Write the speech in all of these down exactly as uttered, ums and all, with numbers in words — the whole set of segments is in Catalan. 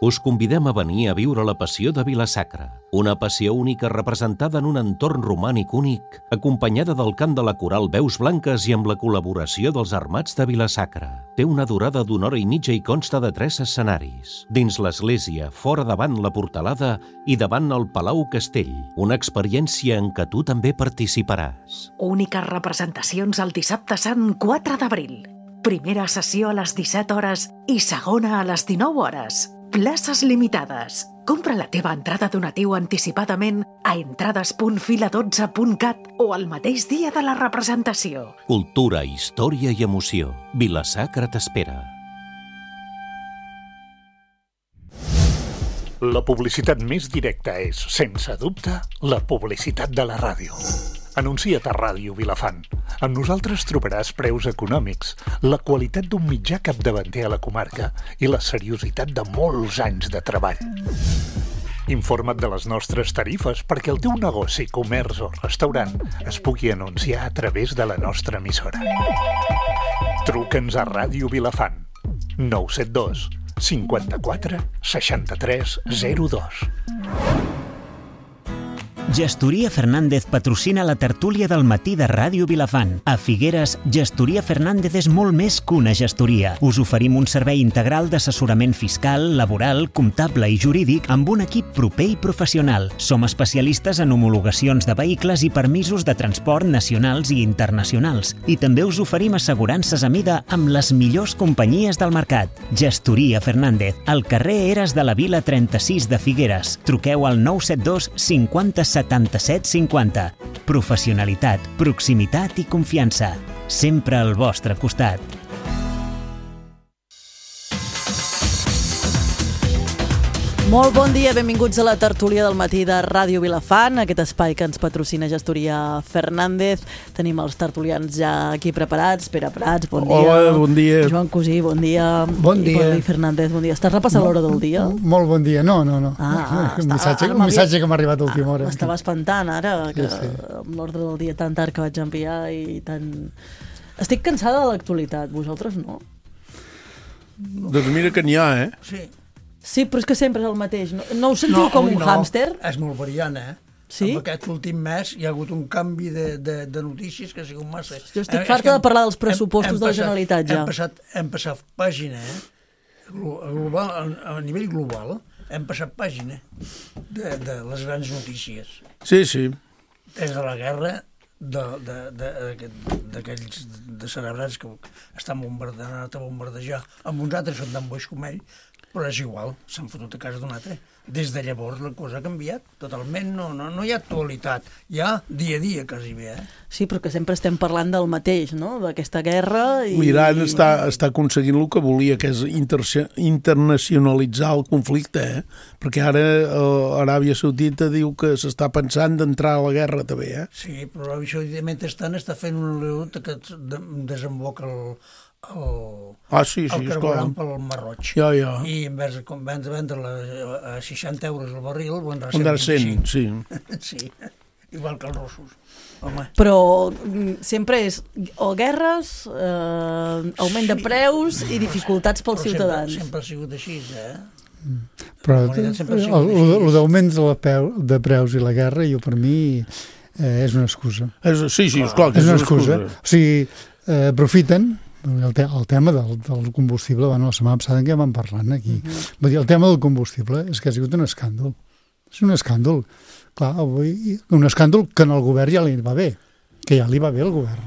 Us convidem a venir a viure la passió de Vila-sacra, una passió única representada en un entorn romànic únic, acompanyada del cant de la coral Veus Blanques i amb la col·laboració dels Armats de Vila-sacra. Té una durada d'una hora i mitja i consta de tres escenaris. Dins l'església, fora davant la portalada i davant el Palau Castell, una experiència en què tu també participaràs. Úniques representacions el dissabte sant quatre d'abril. Primera sessió a les disset hores i segona a les dinou hores. Places limitades. Compra la teva entrada donatiu anticipadament a entrades punt fila dotze punt cat o el mateix dia de la representació. Cultura, història i emoció. Vila-sacra t'espera. La publicitat més directa és, sense dubte, la publicitat de la ràdio. Anuncia't a Ràdio Vilafant. Amb nosaltres trobaràs preus econòmics, la qualitat d'un mitjà capdavanter a la comarca i la seriositat de molts anys de treball. Informa't de les nostres tarifes perquè el teu negoci, comerç o restaurant es pugui anunciar a través de la nostra emissora. Truca'ns a Ràdio Vilafant. nou set dos cinquanta-quatre seixanta-tres zero dos. Gestoria Fernández patrocina la tertúlia del matí de Ràdio Vilafant. A Figueres, Gestoria Fernández és molt més que una gestoria. Us oferim un servei integral d'assessorament fiscal, laboral, comptable i jurídic amb un equip proper i professional. Som especialistes en homologacions de vehicles i permisos de transport nacionals i internacionals. I també us oferim assegurances a mida amb les millors companyies del mercat. Gestoria Fernández, al carrer Eres de la Vila trenta-sis de Figueres. Truqueu al nou set dos cinquanta setanta-set cinquanta. Professionalitat, proximitat i confiança. Sempre al vostre costat. Molt bon dia, benvinguts a la tertúlia del matí de Ràdio Vilafant, aquest espai que ens patrocina Gestoria Fernández. Tenim els tertulians ja aquí preparats. Pere Prats, bon dia. Hola, bon dia. Joan Cosí, bon dia. Bon dia. I Jordi Fernández, bon dia. Estàs repassant l'hora del dia? Molt bon dia. No, no, no. Ah, ah, un, missatge, un missatge que m'ha arribat a última hora. M'estava espantant ara, que Sí, sí. amb l'ordre del dia tan tard que vaig enviar i tan... Estic cansada de l'actualitat, vosaltres no? Doncs mira que n'hi ha, eh? Sí. Sí, però és que sempre és el mateix. No, no us sentiu com avui un no. hàmster? És molt variant, eh? Sí? En aquest últim mes hi ha hagut un canvi de, de, de notícies que ha sigut massa. Jo estic Eh, és farta que de parlar dels pressupostos hem, hem de la passat, Generalitat, ja. Hem passat, hem passat pàgina, eh? Glo- a Global, a, a nivell global, hem passat pàgina de, de les grans notícies. Sí, sí. Des de la guerra de- de- de- d'aquells de cerebrats que estan bombardejant, a bombardejar, amb uns altres són tan boix com ell, però és igual, s'han fotut a casa d'un altre. Des de llavors la cosa ha canviat totalment, no, no, no hi ha actualitat, hi ha dia a dia quasi bé. Eh? Sí, però que sempre estem parlant del mateix, no? D'aquesta guerra i... L'Iran està, està aconseguint el que volia, que és inter internacionalitzar el conflicte, eh? Perquè ara eh, Aràbia Saudita diu que s'està pensant d'entrar a la guerra també, eh? Sí, però això mentrestant està fent una oleoducte que desemboca el, el, Ah, sí, sí, el esclar. carburant pel Mar Roig. Ja, ja. I en vez de com van de vendre-la a seixanta euros el barril, ho vendrà a Vendrà cent cent, sí. Sí, igual que els russos. Home, Però mm, sempre és o guerres, eh, augment de Sí. preus i dificultats pels però ciutadans. Sempre, sempre ha sigut així, eh? Però La humanitat sempre ha el, sigut el, així. el d'augments de, la peu, de preus i la guerra, jo per mi, eh, és una excusa. És, sí, sí, esclar, que És una excusa. O sigui, eh, aprofiten el, te el tema del, del combustible, bueno, la setmana passada en què vam parlant aquí. Uh -huh. Vull dir, el tema del combustible és que ha sigut un escàndol. És un escàndol. Clar, avui, un escàndol que en el govern ja li va bé, que ja li va bé al govern.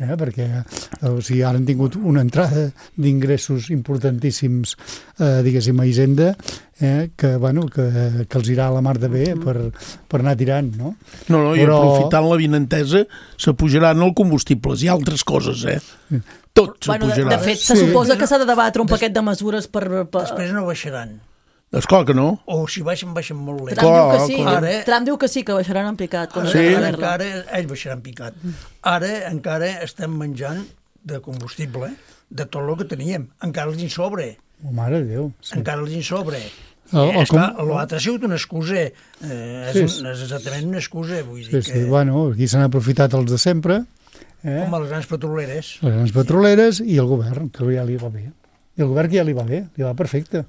Eh? Perquè o sigui, ara han tingut una entrada d'ingressos importantíssims, eh, diguéssim, a Hisenda, eh? que, bueno, que, que els irà a la mar de bé per, per anar tirant, no? No, no, i Però- aprofitant la vinentesa s'apujaran els combustibles i altres coses, eh? Tot Bueno, de, s'apujarà. de fet, se Sí. suposa que s'ha de debatre un paquet de mesures per... per... Després no baixaran. Esclar que no. O si baixen, baixen molt lent. Trump, diu que sí, clar. Ara- Trump diu que sí, que baixaran en picat. Com Ara, Sí. ara encara, ell baixarà en picat. Ara encara estem menjant de combustible, de tot el que teníem. Encara els en sobre. Oh, mare de Déu. Sí. Encara els en sobre. El- el Eh, esclar, com- l'altre ha sigut una excusa. Eh, és, Sí. un, és exactament una excusa. Vull Sí, dir sí, que, bueno, aquí s'han aprofitat els de sempre, eh? com a les grans petroleres. les grans petroleres i el govern, que ja li va bé. I el govern que ja li va bé, li va perfecte.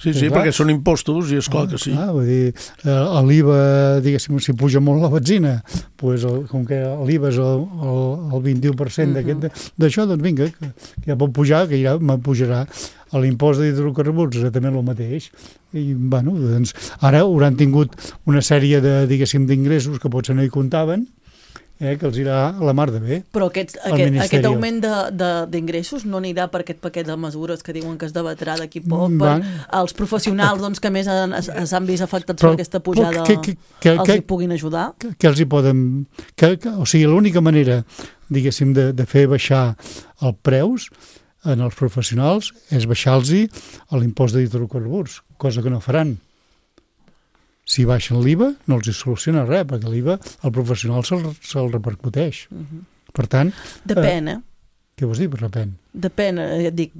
Sí, sí, perquè són impostos i és clar que sí. Clar, vull dir, l'I V A, diguéssim, si puja molt la benzina, pues, com que l'I V A és el, el, el vint-i-u per cent d'això, doncs vinga, que, que ja pot pujar, que ja me pujarà. A l'impost d'hidrocarburs exactament el mateix. I, bueno, doncs, ara hauran tingut una sèrie de, diguéssim, d'ingressos que potser no hi comptaven, eh, que els irà a la mar de bé. Però aquest, aquest, aquest augment d'ingressos no anirà per aquest paquet de mesures que diuen que es debatrà d'aquí poc, per Van. als professionals doncs, que més s'han vist afectats Però, per aquesta pujada, que, que, que, els que, hi puguin ajudar? Que, que els hi poden... Que, que, o sigui, l'única manera, diguéssim, de, de fer baixar els preus en els professionals és baixar-los l'impost d'hidrocarburs, cosa que no faran. Si baixen l'I V A, no els hi soluciona res, perquè l'I V A al professional se'l se repercuteix. Uh -huh. Per tant... Depèn, eh? eh? Què vols dir, per depèn? Depèn, eh, et dic,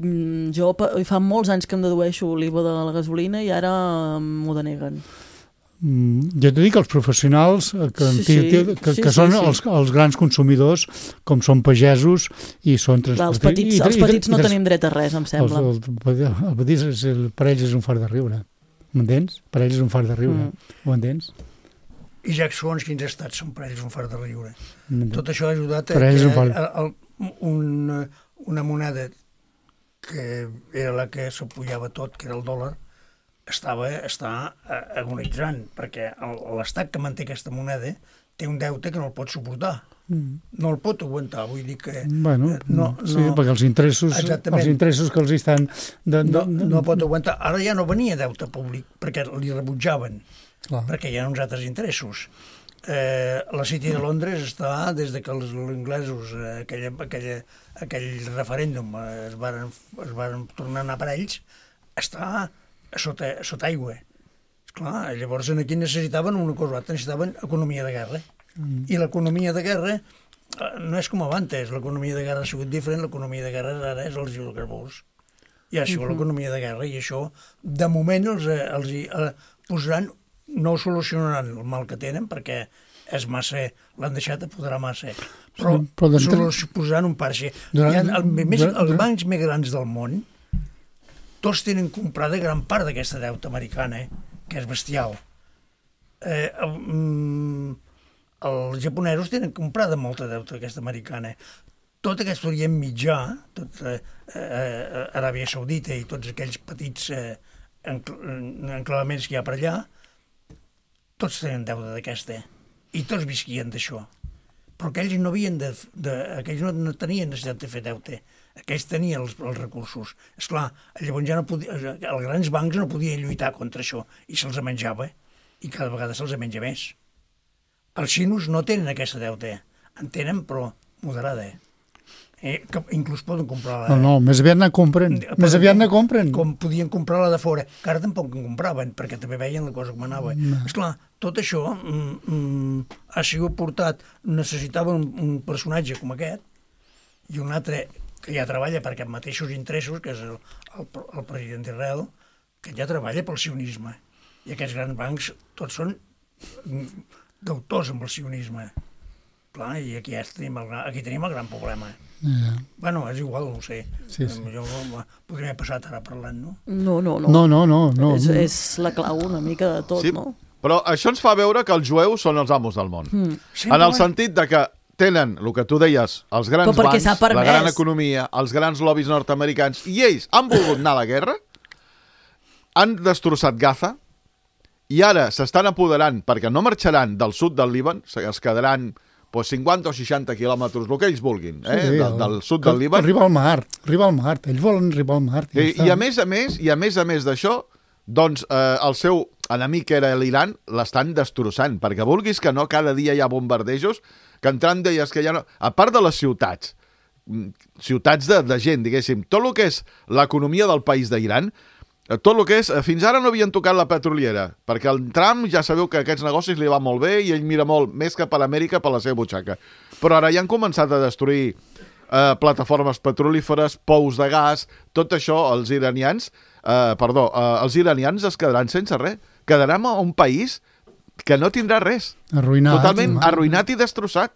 jo fa molts anys que em dedueixo l'I V A de la gasolina i ara m'ho deneguen. Mm, jo t'he dit que els professionals que, sí, sí, que, que, sí, que són sí, sí. Els, els grans consumidors, com són pagesos i són transportistes. Els petits, i, els petits i, no i, tenim dret a res, em sembla. Els, el, el petits, és, el, per ells és un fart de riure. M'entens? Per ells és un fart de riure. Mm. Ho entens? I ja segons quins estats són per ells un fart de riure. Tot això ha ajudat a que fart... el, un, una moneda que era la que s'apujava tot, que era el dòlar, estava, està agonitzant, perquè l'estat que manté aquesta moneda té un deute que no el pot suportar. Mm. No el pot aguantar, vull dir que... Bueno, no, sí, no, perquè els interessos, els interessos que els estan... De, de, no, no pot aguantar. Ara ja no venia deute públic, perquè li rebutjaven, clar. Perquè hi ha uns altres interessos. Eh, la City de Londres està, des de que els inglesos, eh, aquella, aquella, aquell referèndum eh, es, varen, es varen tornar a anar per ells, està sota, sota aigua. Esclar, llavors aquí necessitaven una cosa, necessitaven economia de guerra. Mm. I l'economia de guerra eh, no és com abans, l'economia de guerra ha sigut diferent, l'economia de guerra ara és els hidrocarburs. I ha sigut uh -huh. l'economia de guerra, i això, de moment, els, els eh, posaran, no solucionaran el mal que tenen, perquè és massa, l'han deixat apoderar massa, però, sí, però posaran un parxe. Durant, ha, el, més, durant, els bancs més grans del món, tots tenen comprada gran part d'aquesta deuta americana, eh, que és bestial. Eh, um, els japonesos tenen comprada molta deuta aquesta americana. Tot aquest Orient Mitjà, tot eh, eh, Aràbia Saudita i tots aquells petits eh, enclavaments que hi ha per allà, tots tenen deuta d'aquesta, i tots visquien d'això. Però aquells no havien de, de aquells no, no tenien necessitat de fer deute, aquells tenien els, els recursos. Esclar, llavors ja no podia, els grans bancs no podien lluitar contra això, i se'ls menjava, i cada vegada se'ls menja més. Els xinos no tenen aquesta deuta, en tenen, però moderada. Eh, que inclús poden comprar... La... No, no, més aviat ne compren. Més aviat ne compren. Com podien comprar la de fora, que ara tampoc en compraven, perquè també veien la cosa com anava. No. Esclar, tot això mm, mm, ha sigut portat, necessitava un, un personatge com aquest, i un altre que ja treballa per aquests mateixos interessos, que és el, el, el president d'Israel, que ja treballa pel sionisme. I aquests grans bancs tots són deutors amb el sionisme. Clar, i aquí, ja tenim, el, aquí tenim el gran problema. Yeah. Bueno, és igual, no ho sé. Sí, sí. Jo podria haver passat ara parlant, no? No, no, no. No, no, no. no. És, és la clau una mica de tot, sí, no? Però això ens fa veure que els jueus són els amos del món. Mm. En el sentit de que tenen, el que tu deies, els grans bancs, la gran economia, els grans lobbies nord-americans, i ells han volgut anar a la guerra, han destrossat Gaza, i ara s'estan apoderant, perquè no marxaran del sud del Líban, es quedaran pues, cinquanta o seixanta quilòmetres, el que ells vulguin, eh, sí, del, del sud del Líban. Arriba al mar, arriba al mar, ells volen arribar al mar. I, i a més a més, i a més a més d'això, doncs eh, el seu enemic, que era l'Iran, l'estan destrossant, perquè vulguis que no, cada dia hi ha bombardejos, que entrant deies que ja no... A part de les ciutats, ciutats de, de gent, diguéssim, tot el que és l'economia del país d'Iran, tot el que és... Fins ara no havien tocat la petroliera, perquè el Trump ja sabeu que aquests negocis li va molt bé i ell mira molt més cap a l'Amèrica per la seva butxaca. Però ara ja han començat a destruir eh, plataformes petrolíferes, pous de gas, tot això, els iranians... Eh, perdó, eh, els iranians es quedaran sense res. Quedaran a un país que no tindrà res. Arruïnat. Totalment arruïnat i destrossat.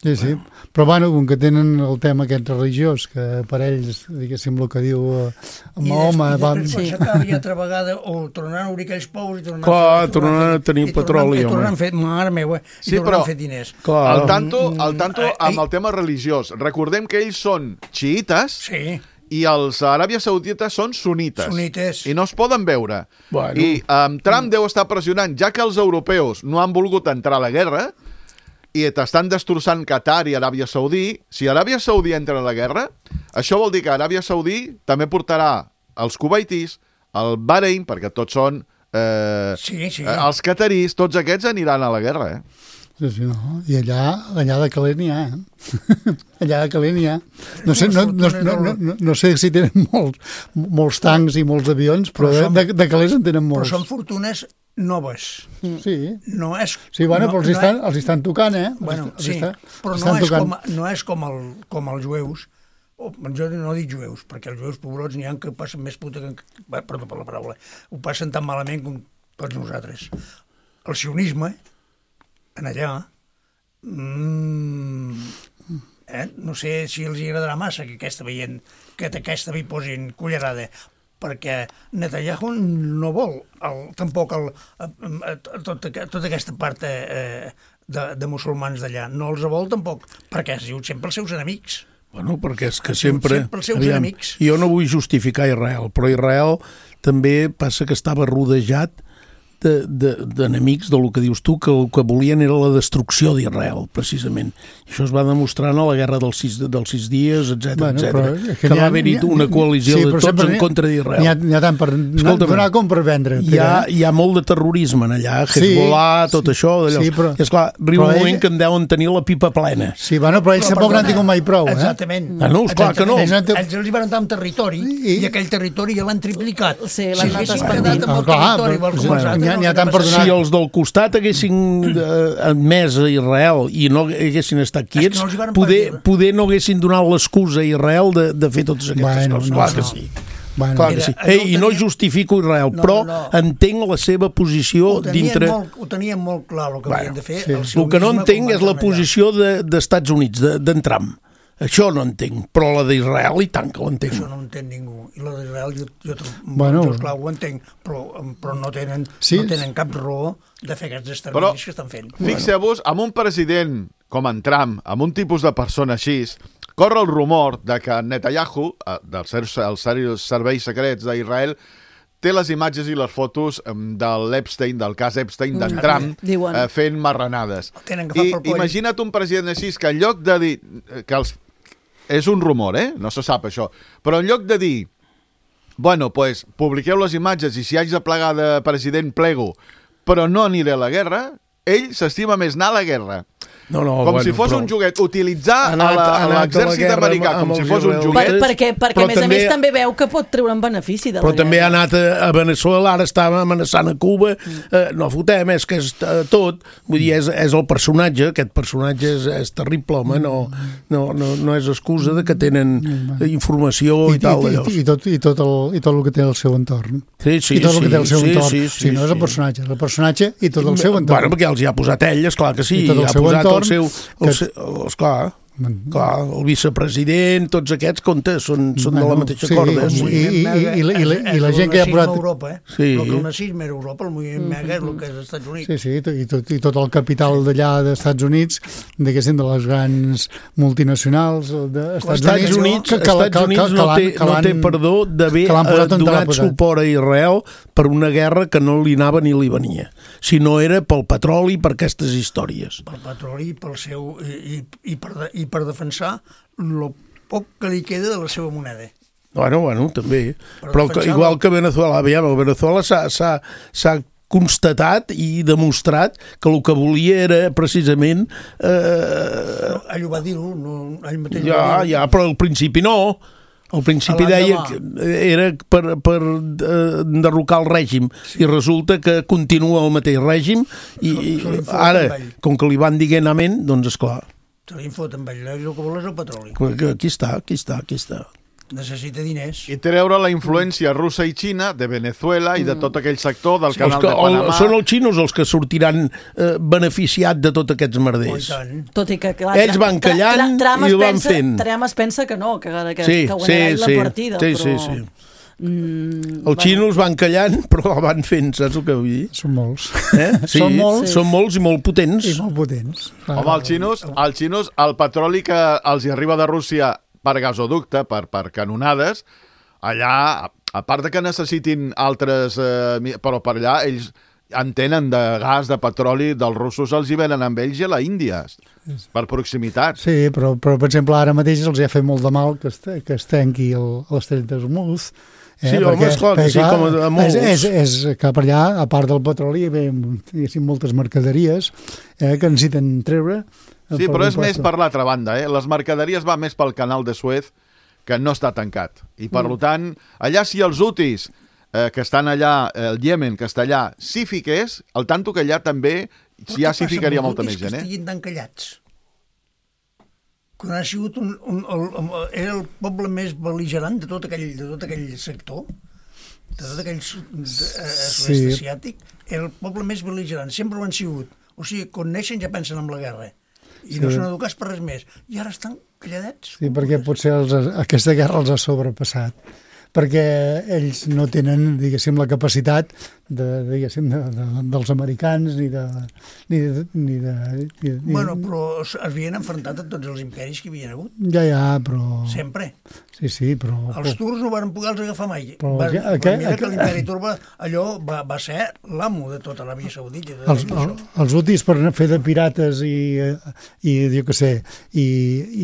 Sí, sí, però bueno, com que tenen el tema aquest religiós, que per ells, diguéssim, el que diu Mahoma... I després quan s'acaba ja altra vegada, o tornaran a obrir aquells pous i tornaran Clar, tornaran a tenir petroli, home. I tornaran a fer, mare meva, i tornaran a fer diners. Al tanto, al tanto amb el tema religiós. Recordem que ells són xiites, sí, i els Aràbia Saudita són sunites. Sunites. I no es poden veure. Bueno. I um, Trump deu estar pressionant, ja que els europeus no han volgut entrar a la guerra i t'estan destrossant Qatar i Aràbia Saudí, si Aràbia Saudí entra a la guerra, això vol dir que Aràbia Saudí també portarà els cuvaitis, el Bahrein, perquè tots són eh, sí, sí. eh, els catarís, tots aquests aniran a la guerra, eh? Sí, sí, no. I allà, allà de calent n'hi ha, eh? Allà de calent n'hi ha. No sé, no, no, no, no, no sé si tenen molts, molts tancs i molts avions, però, però som, de, de calés en tenen molts. Però són fortunes noves. Sí. No és... Sí, bueno, no, però els, no estan, és, els estan tocant, eh? Bueno, els sí, estan, però no és, com, no és com, el, com els jueus. O, jo no dic jueus, perquè els jueus pobrots n'hi ha que passen més puta que... Perdó per la paraula. Ho passen tan malament com tots nosaltres. El sionisme, en allà... Mm, eh, no sé si els agradarà massa que aquesta veient, que aquesta vi posin cullerada, perquè Netanyahu no vol el, tampoc el, tot, tota aquesta part eh, de, de musulmans d'allà, no els vol tampoc, perquè ha sigut sempre els seus enemics. Bueno, perquè és que sempre... sempre els seus aviam, enemics. Jo no vull justificar Israel, però Israel també passa que estava rodejat d'enemics de, de, de lo que dius tu, que el que volien era la destrucció d'Israel, precisament. I això es va demostrar en la guerra dels sis, dels sis dies, etcètera, bueno, etcètera. Que, que va haver-hi una coalició sí, de tots en contra d'Israel. N'hi ha, ha tant per donar com per vendre. Hi ha, hi ha molt de terrorisme en allà, Hezbollah, sí, tot sí, això. Sí, però, I esclar, arriba un moment ell... que en deuen tenir la pipa plena. Sí, bueno, però ells tampoc n'han tingut mai prou. Eh? Exactament. Ah, no, esclar que no. Ells, ells els van entrar en territori i, i aquell territori ja l'han triplicat. Sí, l'han anat expandint. N'hi ha tant per donar. Si els del costat haguessin eh, admès a Israel i no haguessin estat quiets, no poder, poder no haguessin donat l'excusa a Israel de, de fer totes aquestes bueno, coses. No, clar no. que sí. Bueno, clar que sí. Ei, I no justifico Israel, no, però no. entenc la seva posició ho dintre... Molt, ho tenien molt clar el que bueno, havien de fer. Sí. El, el que no entenc és la posició de, d'Estats Units, d'en de, Trump. Això no entenc, però la d'Israel i tant que ho entenc. Això no entén ningú. I la d'Israel jo, jo, bueno. jo esclar, ho entenc, però, però no, tenen, sí. no tenen cap raó de fer aquests exterminis que estan fent. Fixeu-vos, amb un president com en Trump, amb un tipus de persona així, corre el rumor de que Netanyahu, dels serveis secrets d'Israel, té les imatges i les fotos de l'Epstein, del cas Epstein, d'en Trump, eh, fent marranades. I imagina't un president així que en lloc de dir que els... És un rumor, eh? No se sap això. Però en lloc de dir, bueno, pues, publiqueu les imatges i si haig de plegar de president plego, però no aniré a la guerra, ell s'estima més anar a la guerra. No, no, com bueno, si fos però... un joguet, utilitzar anat, a l'exèrcit americà com si fos un joguet. Per, perquè, perquè a més també... a més també veu que pot treure un benefici de la però guerra. També ha anat a, a Venezuela, ara estava amenaçant a Cuba, mm. eh, no fotem, és que és eh, tot, vull dir, és, és el personatge, aquest personatge és, és terrible, home, no, no, no, no és excusa de que tenen informació i, i tal. I, i, i, tot, i, tot el, I tot el que té el seu entorn. Sí, sí, I tot el que té el seu sí, entorn. Sí, sí, sí, no és el personatge, és el personatge i tot el seu entorn. Bueno, perquè els hi ha posat ell, esclar que sí, I tot el ha seu posat entorn, el seu... El, que... el, esclar, clar, el vicepresident, tots aquests comptes són, són bueno, de la mateixa sí, corda. Sí, i, i, i, i, la, i, la, i la gent que ha posat... Europa, eh? Sí. El que el nazisme era Europa, el moviment mega és el que és als Estats Units. Sí, sí, i tot, i tot el capital d'allà dels Estats Units, diguéssim, de les grans multinacionals dels Estats, Estats Units, que, que, Estats que, Units que, que, no, té, no té perdó d'haver donat suport a Israel per una guerra que no li anava ni li venia, si no era pel petroli i per aquestes històries. Pel petroli i pel seu... i, i, per, de, i per defensar el poc que li queda de la seva moneda. Bueno, bueno, també. Per però que, igual que Venezuela, aviam, Venezuela s'ha constatat i demostrat que el que volia era precisament... Eh... No, ell ho va dir-ho, no, ell mateix ja, va dir-ho. Ja, però al principi no. Al principi deia que era per, per eh, enderrocar el règim sí. I resulta que continua el mateix règim i, i ara, com que li van dient amén, doncs esclar. Se li fot amb ell, el que vol és el petroli. Aquí està, aquí està, aquí està. necessita diners. I treure la influència russa i Xina de Venezuela i de tot aquell sector del Sí, canal que, de Panamà. Són els xinos els que sortiran eh, beneficiats de tots aquests Oh, i merders. tant. Tot i que, clar, Ells van callant i ho van fent. Trump es pensa que no, que, que, Sí, que guanyarà sí, ell sí. la partida, Sí, però... sí, sí. Mm, Els xinos van callant, però la van fent, saps el que vull dir? Són molts. Eh? Sí, Són molts. són molts i molt potents. I molt potents. Home, els xinos, els xinos, el petroli que els hi arriba de Rússia per gasoducte, per, per canonades, allà, a part de que necessitin altres... Eh, però per allà ells en tenen de gas, de petroli, dels russos els hi venen amb ells i a la Índia, per proximitat. Sí, però, però per exemple, ara mateix els hi ha fet molt de mal que es, que es tanqui el- l'estret d'Hormuz. Eh? Sí, home, esclar, que sí, com a molts. És, és, és que per allà, a part del petroli, hi ve diguéssim, moltes mercaderies eh, que necessiten treure. eh, Sí, per però és un més puesto. per l'altra banda, eh? Les mercaderies va més pel canal de Suez, que no està tancat. I, per mm. tant, allà si els hutis, eh, que estan allà, el Iemen, que està allà, si fiqués, el tanto que allà també, si ja s'hi ficaria molta més gent, Que eh? estiguin tan callats. Quan ha sigut un, un, el, el, era el poble més bel·ligerant de tot aquell, de tot aquell sector, de tot aquell sud- de, eh, sud-est Sí. asiàtic, era el poble més bel·ligerant. Sempre ho han sigut. O sigui, quan neixen ja pensen en la guerra. I Sí. no són educats per res més. I ara estan calladets. Sí, perquè potser els, aquesta guerra els ha sobrepassat, perquè ells no tenen, diguéssim, la capacitat de, diguéssim, de, de, dels americans ni de... Ni de, ni de ni, ni, Bueno, però es havien enfrontat a tots els imperis que hi havia hagut. Ja, ja, però... Sempre. Sí, sí, però... Els turcs no van poder els agafar mai. Però Va, aqu- va, aqu- mira aqu- que l'imperi turc va, allò va, va ser l'amo de tota l'Aràbia Saudita. De Els, tot el, això. els útils per anar a fer de pirates i, eh, i jo què sé, i,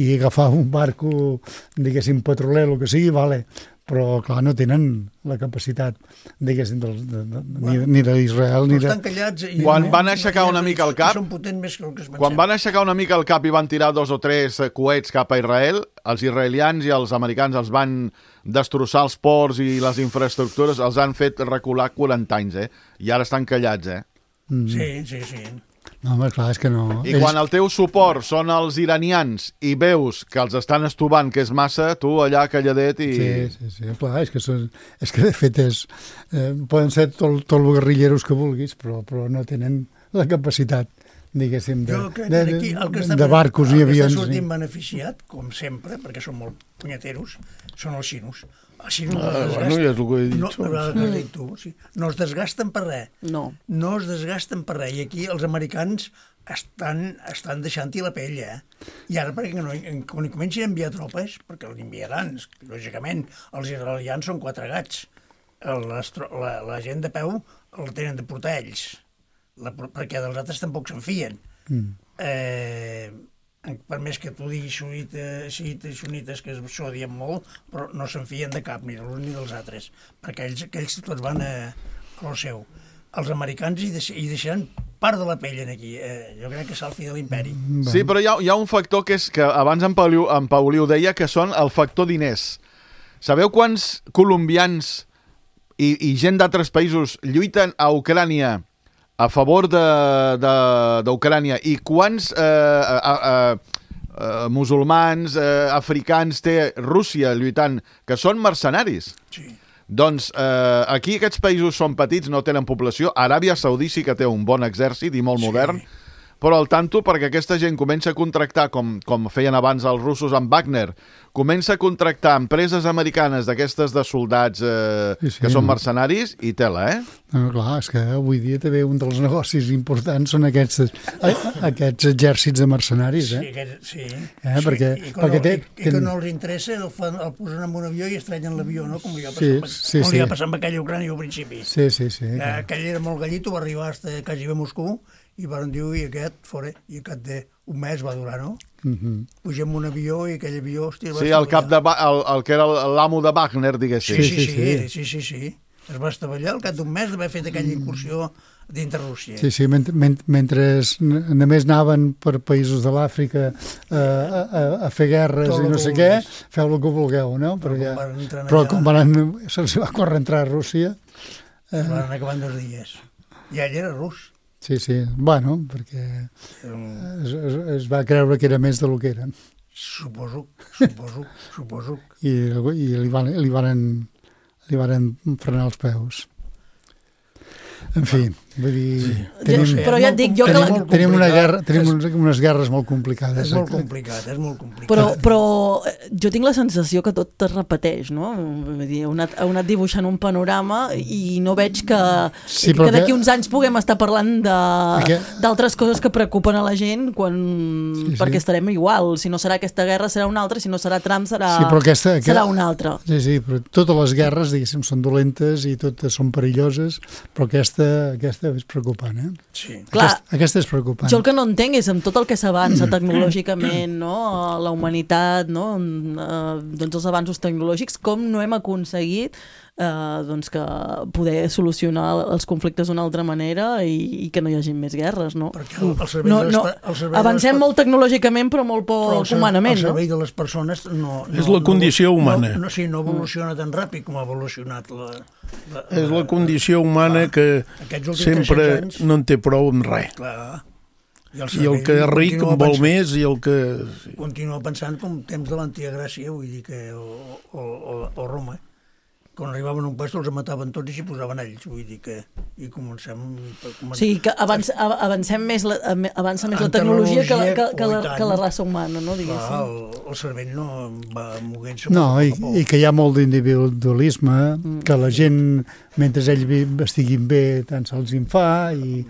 i agafar un barco, diguéssim, petroler, el que sigui, vale, però clar, no tenen la capacitat, diguéssim, del, de, de, ni, ni d'Israel ni Però de... estan callats i Quan no- van aixecar una mica el cap- Són potents més que el que es Quan van aixecar una mica el cap i van tirar dos o tres eh, coets cap a Israel, els israelians i els americans els van destrossar els ports i les infraestructures, els han fet recular quaranta anys, eh? I ara estan callats, eh? Mm. Sí, sí, sí. No, home, clar, és que no... I quan el teu suport són els iranians i veus que els estan estovant, que és massa, tu allà calladet i... Sí, sí, sí, clar, és que, són, és que de fet és, eh, poden ser tot, tot els guerrilleros que vulguis, però, però no tenen la capacitat, diguéssim, de, Jo crec de, que aquí el que de, està, de barcos el i que avions. està i- sortint beneficiat, com sempre, perquè són molt punyeteros, són els xinos. Els xinos no, Ah, es bueno, ja és el que he dit no, jo. el que has dit tu, sí. No es desgasten per res. No. No es desgasten per res. I aquí els americans estan, estan deixant-hi la pell, eh? I ara, perquè no, quan hi comencin a enviar tropes, perquè l'enviaran, lògicament, els israelians són quatre gats. Les, tro- la, la gent de peu el tenen de portar ells, la, perquè dels altres tampoc se'n fien. Mm. Eh, per més que tu diguis xiites, xiites, xunites, que es s'odien molt, però no se'n fien de cap, ni dels uns ni dels altres, perquè ells, aquells tots van a, a lo seu. Els americans hi, deix, hi deixaran part de la pell en aquí. Eh, jo crec que és el fi de l'imperi. Sí, però hi ha, hi ha un factor que és que abans en Pauliu, en Pauliu deia que són el factor diners. Sabeu quants colombians i, i gent d'altres països lluiten a Ucrània a favor d'Ucrània i quants eh, eh, eh, eh, musulmans, eh, africans té Rússia lluitant, que són mercenaris? Sí. Doncs eh, aquí aquests països són petits, no tenen població. Aràbia Saudí sí que té un bon exèrcit i molt Sí. modern, però al tanto perquè aquesta gent comença a contractar, com, com feien abans els russos amb Wagner, comença a contractar empreses americanes d'aquestes de soldats eh, Sí, sí, que són no. mercenaris i tela, eh? No, clar, és que avui dia també un dels negocis importants són aquests, eh, aquests exèrcits de mercenaris, Sí, eh? aquest, sí. Eh, sí. perquè- I, que perquè no, té- i, i que ten- no els interessa, el, fan, el posen en un avió i estrenyen l'avió, no? Com li va Sí, passar, sí, com li sí. va passar amb aquella Ucrània al principi. Sí, sí, sí. Que clar. aquell era molt gallito, va arribar fins a quasi a Moscou i van dir, i aquest, fora, i aquest de un mes va durar, no? Mhm. Pugem en un avió i aquell avió, hòstia, va Sí, el cap de, Wa- el, el que era l'amo de Wagner, diguéssim. Sí, sí, sí, sí, sí, sí, sí, sí. Es va estavellar al cap d'un mes d'haver fet aquella incursió dintre Rússia. Sí, sí, mentre, mentre, mentre només anaven per països de l'Àfrica eh, a, a, a fer guerres Tot i el no que sé què, vulguis. feu el que vulgueu, no? Però Perquè, quan van entrar però allà- quan van, se'ls va córrer entrar a Rússia, Es van anar acabant dos dies. I ell era rus. sí, sí, bueno, perquè Um, es, es, es va creure que era més del que era. Suposo, suposo, suposo. I, i li, van, li, varen, li varen frenar els peus. En fi, vull dir... Sí. Tenim, ja, però ja et dic jo que... Tenim, la... tenim, una guerra, tenim és, unes guerres molt complicades. És molt complicat, és molt complicat. Però, però jo tinc la sensació que tot es repeteix, no? Vull dir, heu anat, heu anat dibuixant un panorama i no veig que, sí, que d'aquí uns anys puguem estar parlant d'altres coses que preocupen a la gent quan, sí, sí. perquè estarem igual. Si no serà aquesta guerra, serà una altra. Si no serà Trump, serà, sí, aquesta, serà aquesta, una altra. Sí, sí, però totes les guerres, diguéssim, són dolentes i totes són perilloses, però aquesta, aquesta és preocupant, eh? Sí. Clar, aquesta, aquesta és preocupant. Jo el que no entenc és amb tot el que s'avança tecnològicament, no? La humanitat, no? Doncs els avanços tecnològics, com no hem aconseguit eh, doncs que poder solucionar els conflictes d'una altra manera i, i que no hi hagi més guerres, no? Perquè el, el servei no, de les, no. el servei Avancem de les, molt tecnològicament però molt poc però humanament, no? El servei no? de les persones no... no és la condició no, humana. No, no, sí, no evoluciona tan ràpid com ha evolucionat la... la és la condició humana clar, que sempre no en té prou amb res. Clar. I el, I el que és ric en vol pensant, més i el que... Sí. Continua pensant com temps de l'antiga Gràcia, vull dir que... o, o, o, o Roma, quan arribaven a un puesto els mataven tots i s'hi posaven ells, vull dir que... I comencem... O sigui, que avanç, avancem més la, avança més la tecnologia, tecnologia que, la, que, que, la, que la raça humana, no? Diguéssim. Clar, el, el cervell no va moguent-se... No, i, i que hi ha molt d'individualisme, mm. que la gent, mentre ell estiguin bé, tant se'ls en fa, i...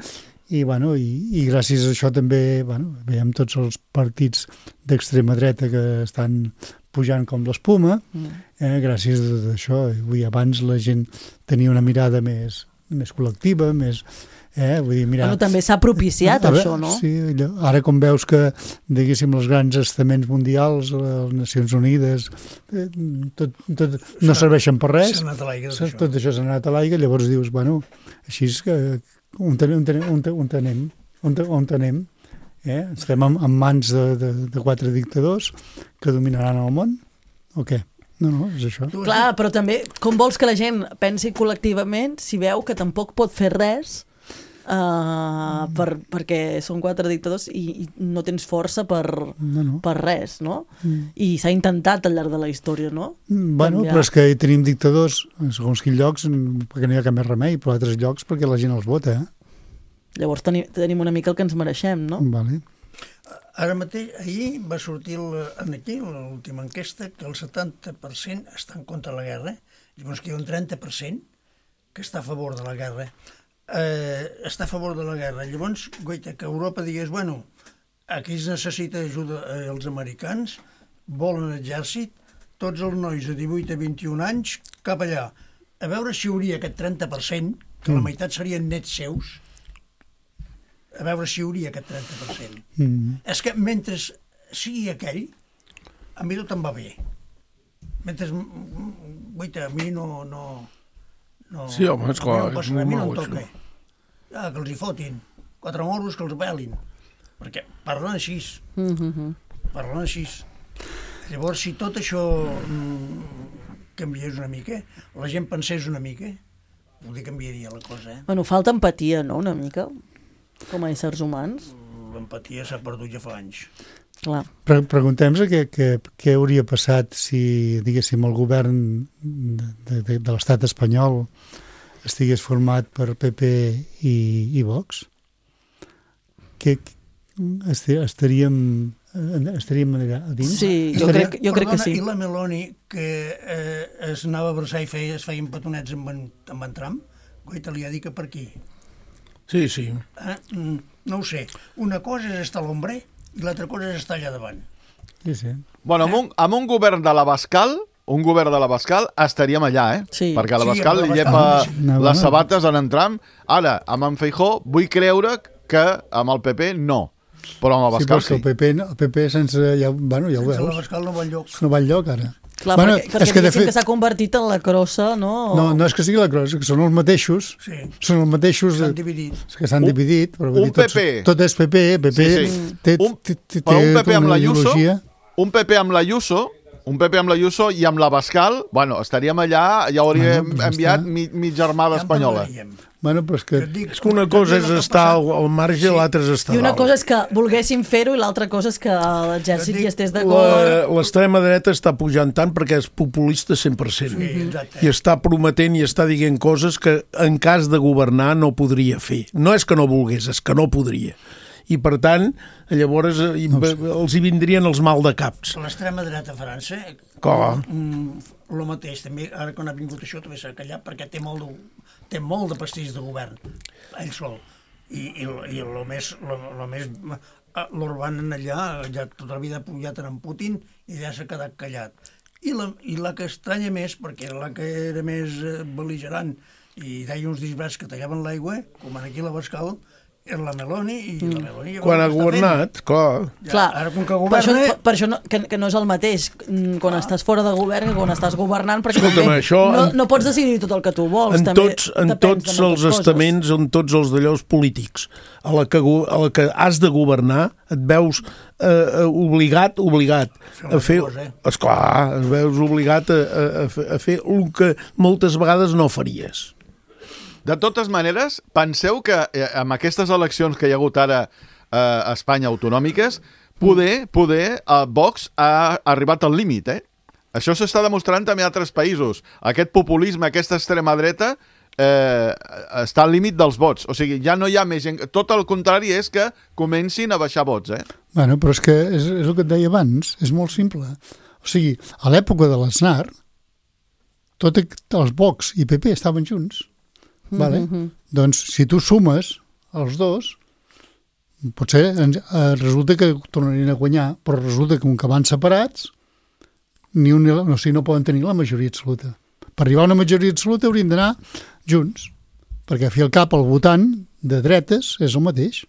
I, bueno, i, i gràcies a això també bueno, veiem tots els partits d'extrema dreta que estan pujant com l'espuma, eh, gràcies a això. Vull, abans la gent tenia una mirada més, més col·lectiva, més... Eh, vull dir, mira, bueno, també s'ha propiciat ara, això, no? Sí, ara com veus que, diguéssim, els grans estaments mundials, les Nacions Unides, eh, tot, tot, no serveixen per res, s'ha anat a l'aigua, tot, tot això s'ha anat a l'aigua, llavors dius, bueno, així és que... On tenem, on tenem, on tenem, on, on tenem, eh? Estem en, en mans de, de, de quatre dictadors que dominaran el món, o què? No, no, és això. Clar, però també, com vols que la gent pensi col·lectivament si veu que tampoc pot fer res uh, per, perquè són quatre dictadors i, i no tens força per, no, no. per res, no? Mm. I s'ha intentat al llarg de la història, no? Bueno, canviar. Però és que tenim dictadors en segons quins llocs perquè no hi ha cap més remei, però altres llocs perquè la gent els vota, eh? Llavors tenim, tenim una mica el que ens mereixem, no? Vale. Ara mateix, ahir va sortir el, aquí l'última enquesta que el setanta per cent està en contra de la guerra, llavors que hi ha un trenta per cent que està a favor de la guerra. Eh, està a favor de la guerra. Llavors, goita, que Europa digués, bueno, aquí es necessita ajuda eh, els americans, volen exèrcit, tots els nois de divuit a vint-i-un anys, cap allà. A veure si hi hauria aquest trenta per cent, que mm. la meitat serien nets seus, a veure si hi hauria aquest trenta per cent. Mm. És que mentre sigui aquell, a mi tot em va bé. Mentre, goita, a mi no... no No, sí, home, és clar, no, és molt no nou, això. Ah, que els hi fotin. Quatre morros que els pelin. Perquè parlen així. Mm-hmm. Parlen així. Llavors, si tot això mm, canviés una mica, la gent pensés una mica, vol dir que canviaria la cosa, eh? Bueno, falta empatia, no?, una mica, com a éssers humans. L'empatia s'ha perdut ja fa anys. Clar. Pre Preguntem-nos què, què, què hauria passat si, diguéssim, el govern de, de, de l'estat espanyol estigués format per P P i, i Vox. Que estaríem, estaríem a dins? Sí, jo, estaríem, crec, jo crec que sí. I la Meloni, que eh, es anava a abraçar i feia, es feien petonets amb en, amb en Trump, goita, li ha dit que per aquí. Sí, sí. Eh? No ho sé. Una cosa és estar a l'ombra i l'altra cosa és estar allà davant. Sí, sí. Bueno, amb un, amb un govern de l'Abascal, un govern de l'Abascal, estaríem allà, eh? Sí. Perquè l'Abascal sí, llepa no, les no. sabates en Trump. Ara, amb en Feijó, vull creure que amb el P P no. Però amb l'Abascal sí. Sí, perquè el P P, el P P sense... Ja, bueno, ja ho Sense veus. l'Abascal no va enlloc. No va enlloc, ara. Clar, bueno, perquè, perquè és que diguéssim fet... que s'ha convertit en la crossa, no? O... No, no és que sigui la crossa, que són els mateixos. Sí. Són els mateixos... S'han dividit. Que s'han dividit. Però un dir, tots, P P. Tot és P P. P P Sí, sí. té, un, té, té, però un P P amb l'Ayuso, ideologia. un P P amb l'Ayuso Un P P amb l'Ayuso i amb l'Abascal, bueno, estaríem allà, ja hauríem bueno, enviat mi, mi germana espanyola. Bueno, però és que... És que una cosa és estar al marge i l'altra és estar I una dalt. cosa és que volguéssim fer-ho i l'altra cosa és que l'exèrcit hi estés d'acord. L'extrema dreta està pujant tant perquè és populista cent per cent. Sí, I està prometent i està dient coses que en cas de governar no podria fer. No és que no volgués, és que no podria. I per tant, llavors eh, no sé. els hi vindrien els mal de caps. L'extrema dreta a França, Com? el mateix, també, ara quan ha vingut això també s'ha callat perquè té molt de, té molt de pastís de govern, ell sol. I, i, i el més, lo, lo més l'Orban allà, ja tota la vida pujat en Putin i ja s'ha quedat callat. I la, I la que estranya més, perquè la que era més bel·ligerant i deia uns disbrats que tallaven l'aigua, com aquí a l'Abascal, és la Meloni i la Meloni... Quan ha governat, clar. Ja, Clar, ara com que governa... Per això, per això no, que, que no és el mateix quan ah. estàs fora de govern que quan estàs governant, perquè Escolta'm, això, no, no pots decidir tot el que tu vols. En també tots, en tots els estaments, en tots els d'allòs polítics, a la, que, a la que has de governar, et veus eh, obligat, obligat a fer... Esclar, et veus obligat a, a, a fer el que moltes vegades no faries. De totes maneres, penseu que eh, amb aquestes eleccions que hi ha hagut ara eh, a Espanya autonòmiques, poder, poder eh, Vox ha arribat al límit, eh? Això s'està demostrant també a altres països. Aquest populisme, aquesta extrema dreta, eh, està al límit dels vots. O sigui, ja no hi ha més gent... Tot el contrari és que comencin a baixar vots, eh? Bueno, però és que és, és el que et deia abans, és molt simple. O sigui, a l'època de l'Aznar, tot els Vox i P P estaven junts. Vale? Mm-hmm. Doncs si tu sumes els dos, potser eh, resulta que tornarien a guanyar, però resulta que com que van separats, ni un, no, o sigui, no poden tenir la majoria absoluta. Per arribar a una majoria absoluta haurien d'anar junts, perquè a fi al cap el votant de dretes és el mateix.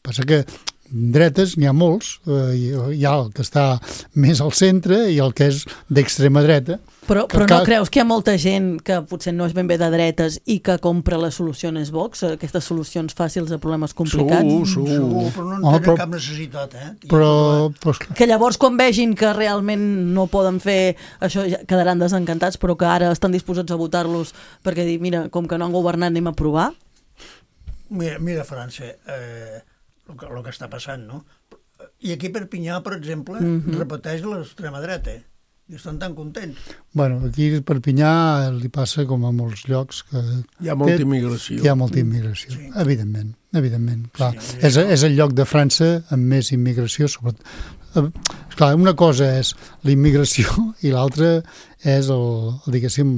Passa que dretes n'hi ha molts, eh, hi ha el que està més al centre i el que és d'extrema dreta. Però, però no creus que hi ha molta gent que potser no és ben bé de dretes i que compra les solucions Vox, aquestes solucions fàcils a problemes complicats? Segur, segur. segur però no en tenen oh, però, cap necessitat, eh? Però, però... Que llavors quan vegin que realment no poden fer això ja quedaran desencantats, però que ara estan disposats a votar-los perquè dir, mira, com que no han governat anem a provar? Mira, mira França, eh, el, que, el que està passant, no? I aquí a Perpinyà, per exemple, mm-hmm. repeteix l'extrema dreta, eh? I estan tan contents. Bueno, aquí a Perpinyà li passa com a molts llocs que... Hi ha molta immigració. Hi ha molta immigració, sí. evidentment, evidentment, clar. Sí, és, sí. és el lloc de França amb més immigració, sobretot. Clar, una cosa és la immigració i l'altra és el, el diguéssim,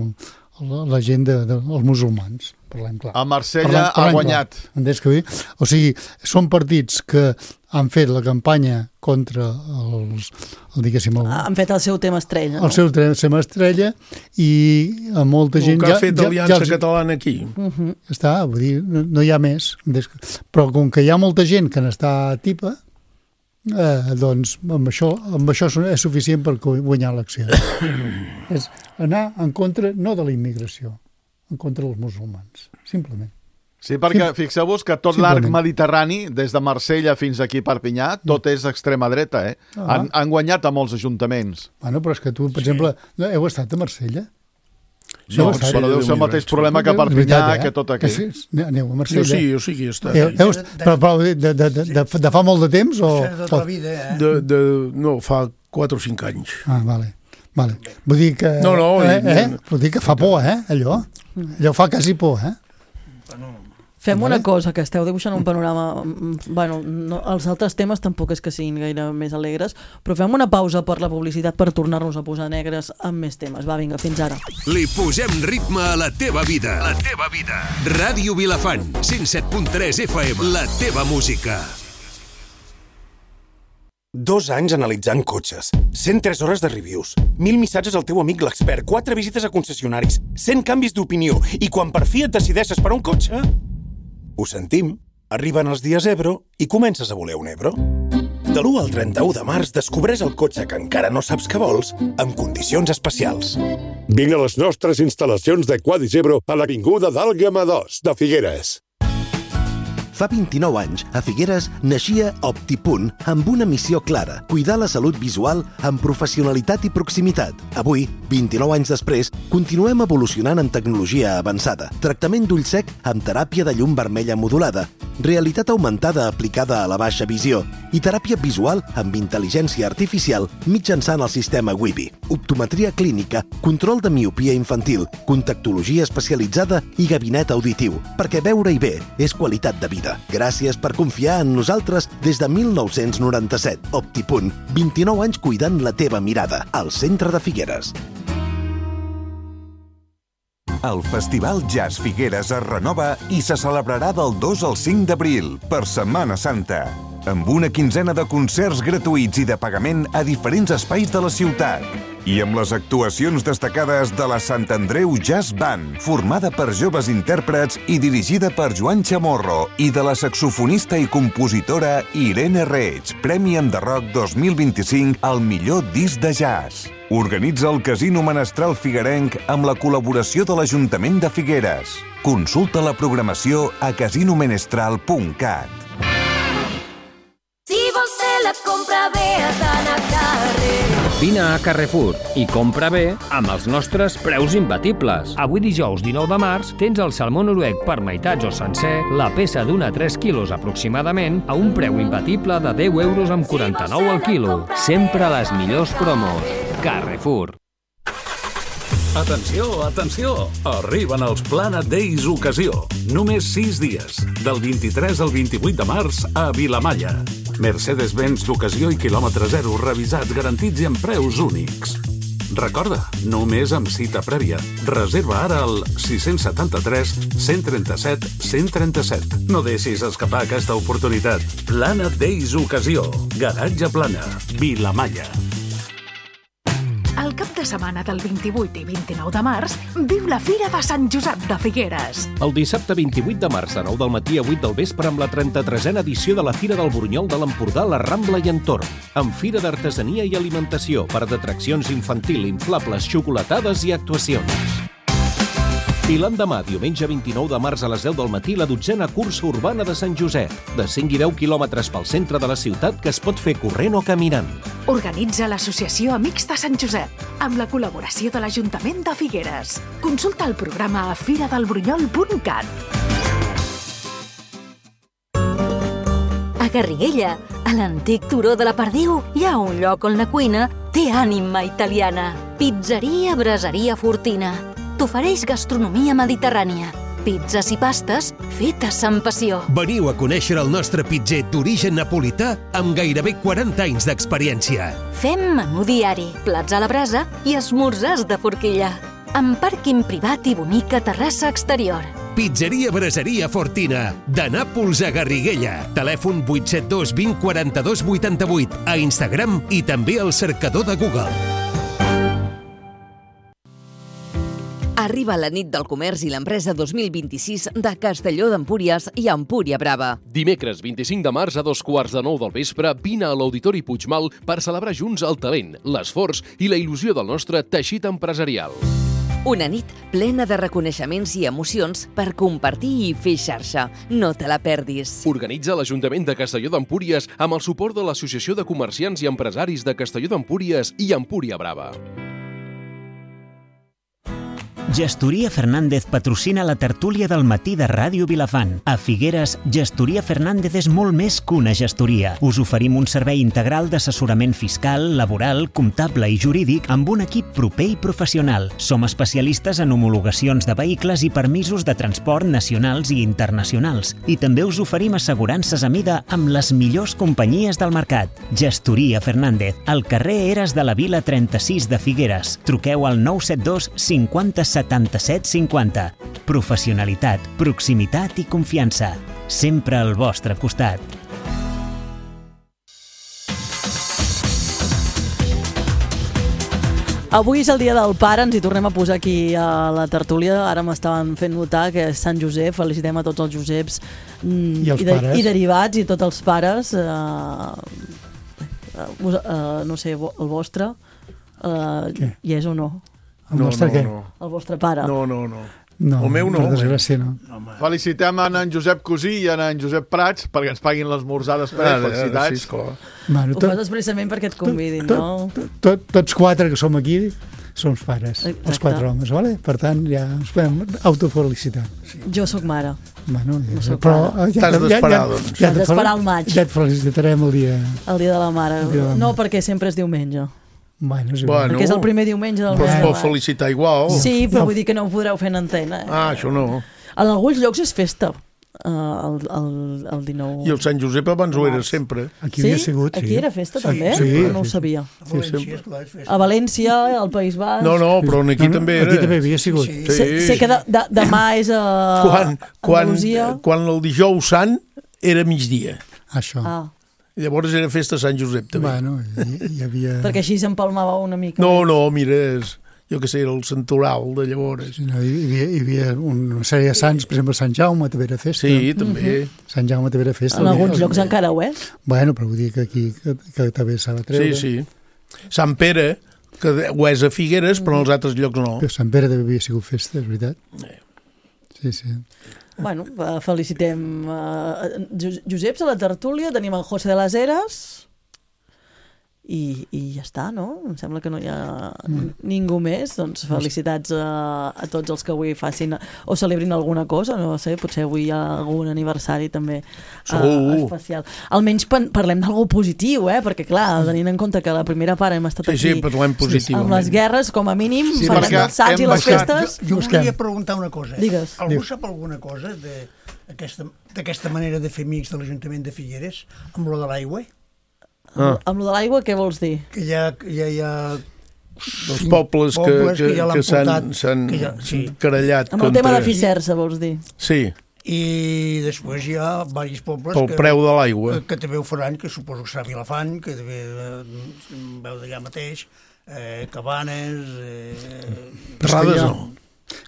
la gent de, de, els musulmans. Parlem clar. A Marsella parlem, parlem ha guanyat. Que, o sigui, són partits que han fet la campanya contra els... El, diguéssim, el, han fet el seu tema estrella. El no? seu tema estrella i a molta el gent... El que ja, ha fet ja, Aliança ja els... Catalana aquí. Uh-huh. Està, vull dir, no, no hi ha més. Però com que hi ha molta gent que n'està tipa, eh, doncs amb això, amb això és suficient per guanyar l'acció. És anar en contra, no de la immigració, en contra dels musulmans, simplement. Sí, perquè Sim. fixeu-vos que tot l'arc mediterrani, des de Marsella fins aquí a Perpinyà, tot és extrema dreta, eh? Ah. Han, han guanyat a molts ajuntaments. Bueno, però és que tu, per sí. exemple, heu estat a Marsella? No, no però deu ser el mateix problema que a Perpinyà, eh? que tot aquí. Sí, aneu a Marsella. Jo sí, jo sí que he estat. Heu, heu, però, però de, de, de, de, de fa molt de temps? O... De tota la vida, eh? De, de, no, fa quatre o cinc anys. Ah, vale. Vale. Vull dir que... No, no. Eh, eh? Vull dir que fa por, eh, allò. Allò fa quasi por, eh? Fem una cosa, que esteu dibuixant un panorama... Bueno, no, els altres temes tampoc és que siguin gaire més alegres, però fem una pausa per la publicitat per tornar-nos a posar negres amb més temes. Va, vinga, fins ara. Li posem ritme a la teva vida. La teva vida. Ràdio Vilafant, cent set punt tres F M. La teva música. Dos anys analitzant cotxes, cent tres hores de reviews, mil missatges al teu amic l'expert, quatre visites a concessionaris, cent canvis d'opinió, i quan per fi et decideixes per un cotxe... Ho sentim, arriben els dies Ebro i comences a voler un Ebro. De l'u al trenta-u de març descobreix el cotxe que encara no saps que vols amb condicions especials. Vine a les nostres instal·lacions de Quadis Ebro a l'Avinguda d'Àlguema dos de Figueres. Fa vint-i-nou anys, a Figueres naixia Optipunt amb una missió clara: cuidar la salut visual amb professionalitat i proximitat. Avui, vint-i-nou anys després, continuem evolucionant amb tecnologia avançada. Tractament d'ull sec amb teràpia de llum vermella modulada, realitat augmentada aplicada a la baixa visió i teràpia visual amb intel·ligència artificial mitjançant el sistema Wibi. Optometria clínica, control de miopia infantil, contactologia especialitzada i gabinet auditiu, perquè veure-hi bé és qualitat de vida. Gràcies per confiar en nosaltres des de mil nou-cents noranta-set. Optipunt, vint-i-nou anys cuidant la teva mirada, al centre de Figueres. El Festival Jazz Figueres es renova i se celebrarà del dos al cinc d'abril, per Setmana Santa, amb una quinzena de concerts gratuïts i de pagament a diferents espais de la ciutat. I amb les actuacions destacades de la Sant Andreu Jazz Band, formada per joves intèrprets i dirigida per Joan Chamorro, i de la saxofonista i compositora Irene Reig, Premi Enderroc dos mil vint-i-cinc al millor disc de jazz. Organitza el Casino Menestral Figuerenc amb la col·laboració de l'Ajuntament de Figueres. Consulta la programació a casino menestral punt cat. Si vols fer la compra bé, has d'anar a carrer. Vine a Carrefour i compra bé amb els nostres preus imbatibles. Avui dijous dinou de març tens el salmó noruec per meitats o sencer, la peça d'una a tres quilos aproximadament, a un preu imbatible de deu euros amb quaranta-nou al quilo. Sempre les millors promos. Carrefour. Atenció, atenció! Arriben els Planet Days Ocasió. Només sis dies, del vint-i-tres al vint-i-vuit de març a Vilamalla. Mercedes-Benz d'ocasió i quilòmetre zero, revisats, garantits i amb preus únics. Recorda, només amb cita prèvia. Reserva ara al sis set tres, cent trenta-set, cent trenta-set. No deixis escapar aquesta oportunitat. Planet Days Ocasió. Garatge Plana, Vilamalla. El cap de setmana del vint-i-vuit i vint-i-nou de març viu la Fira de Sant Josep de Figueres. El dissabte vint-i-vuit de març de nou del matí a vuit del vespre amb la trenta-tresena edició de la Fira del Burunyol de l'Empordà, la Rambla i entorn, amb fira d'artesania i alimentació, parc d'atraccions infantil, inflables, xocolatades i actuacions. I l'endemà, diumenge vint-i-nou de març a les deu del matí, la dotzena cursa urbana de Sant Josep, de cinc i deu quilòmetres pel centre de la ciutat que es pot fer corrent o caminant. Organitza l'Associació Amics de Sant Josep, amb la col·laboració de l'Ajuntament de Figueres. Consulta el programa a fira del brunyol punt cat. A Garriguella, a l'antic turó de la Perdiu, hi ha un lloc on la cuina té ànima italiana. Pizzeria Braseria Fortina. T'ofereix gastronomia mediterrània, pizzas i pastes fetes amb passió. Veniu a conèixer el nostre pitzer d'origen napolità amb gairebé quaranta anys d'experiència. Fem menú diari, plats a la brasa i esmorzars de forquilla, amb pàrquing privat i bonica terrassa exterior. Pizzeria Braseria Fortina, de Nàpols a Garriguella. Telèfon vuit set dos, vint, quaranta-dos, vuitanta-vuit, a Instagram i també al cercador de Google. Arriba la nit del comerç i l'empresa dos mil vint-i-sis de Castelló d'Empúries i Empúria Brava. Dimecres vint-i-cinc de març a dos quarts de nou del vespre vine a l'Auditori Puigmal per celebrar junts el talent, l'esforç i la il·lusió del nostre teixit empresarial. Una nit plena de reconeixements i emocions per compartir i fer xarxa. No te la perdis. Organitza l'Ajuntament de Castelló d'Empúries amb el suport de l'Associació de Comerciants i Empresaris de Castelló d'Empúries i Empúria Brava. Gestoria Fernández patrocina la tertúlia del matí de Ràdio Vilafant. A Figueres, Gestoria Fernández és molt més que una gestoria. Us oferim un servei integral d'assessorament fiscal, laboral, comptable i jurídic amb un equip proper i professional. Som especialistes en homologacions de vehicles i permisos de transport nacionals i internacionals. I també us oferim assegurances a mida amb les millors companyies del mercat. Gestoria Fernández, al carrer Eres de la Vila trenta-sis de Figueres. Truqueu al nou set dos cinquanta setanta-set cinquanta. Professionalitat, proximitat i confiança. Sempre al vostre costat. Avui és el dia del pare, ens hi tornem a posar aquí a la tertúlia. Ara m'estaven fent notar que és Sant Josep, felicitem a tots els Joseps mm, I els i, de, pares. i derivats i tots els pares. Uh, uh, uh, no sé, el vostre, uh, hi és o no? El nostre què? no. El vostre pare. No, no, no. No, el meu no. per desgràcia no. Felicitem en en Josep Cosí i en en Josep Prats perquè ens paguin l'esmorzar després. Ara, Felicitats. sí, esclar. Bueno, Ho tot, fas expressament perquè et convidin, tot, no? tot, tots quatre que som aquí som pares, Exacte. els quatre homes, vale? Per tant, ja ens podem autofelicitar. Jo sóc mare. Bueno, No ja, sóc però pare. ja, T'has ja, d'esperar, ja, doncs. ja, T'has et fel- d'esperar al maig. ja et felicitarem el dia... El dia de la mare. El dia de la No, mare. perquè sempre és diumenge. Bueno, és igual. Bueno, Perquè és el primer diumenge del però mes es de pot maig. felicitar igual. Sí, però vull dir que no ho podreu fer en antena. Eh? Ah, això no. En alguns llocs és festa, uh, el, el, el dinou... I el Sant Josep abans ho era sempre. Aquí Sí? havia sigut, sí. Aquí era festa, Sí, també? sí, no ho sí, sí. sabia. A València, esclar, és festa. A València, al País Basc... No, no, però aquí No, no, també era. aquí també havia sigut. Sí, Sé, sé que de, de, demà és a Quan, quan, Andalusia. quan el dijous sant era migdia. Això. Ah, I llavors era festa Sant Josep, també. Bueno, hi, hi havia... perquè així s'empalmava una mica. No, no, mira, és, jo què sé, era el santoral de llavors. Sí, no, hi, havia, hi havia una sèrie de sants, per exemple, Sant Jaume també era festa. Sí, també. Sant Jaume també era festa. En alguns Els- llocs encara ho és. Bueno, però vull dir que aquí que, que també s'ha de treure. Sí, sí. Sant Pere, que ho és a Figueres, però en els altres llocs no. Però Sant Pere també havia sigut festa, és veritat. Sí, sí. Bueno, eh, felicitem uh, Joseps a la tertúlia, tenim en José de las Heras i, i ja està, no? Em sembla que no hi ha ningú més. Doncs felicitats a, a tots els que avui facin o celebrin alguna cosa, no sé, potser avui hi ha algun aniversari també uh, Segur. especial. Almenys pan- parlem d'algú positiu, eh? Perquè clar, tenint en compte que la primera part hem estat Sí, sí, aquí parlem positivament. amb les guerres, com a mínim, Sí, parlem perquè dels sants i hem les baixat- festes. Jo, jo Busquem. volia preguntar una cosa. Digues. Algú sap alguna cosa de- d'aquesta d'aquesta manera de fer amics de l'Ajuntament de Figueres amb lo de l'aigua? Ah. Amb lo de l'aigua, què vols dir? Que hi ha, ja hi ha Els pobles que, pobles que, ja l'han que s'han portat, s'han que ja- sí. querellat Amb el contra... tema de Ficersa, vols dir? Sí, i després hi ha diversos pobles pel que, preu de l'aigua. que, que també ho faran, que suposo que serà Vilafant, que també eh, veu d'allà mateix, eh, Cabanes... Eh, Terrades hi ha- no.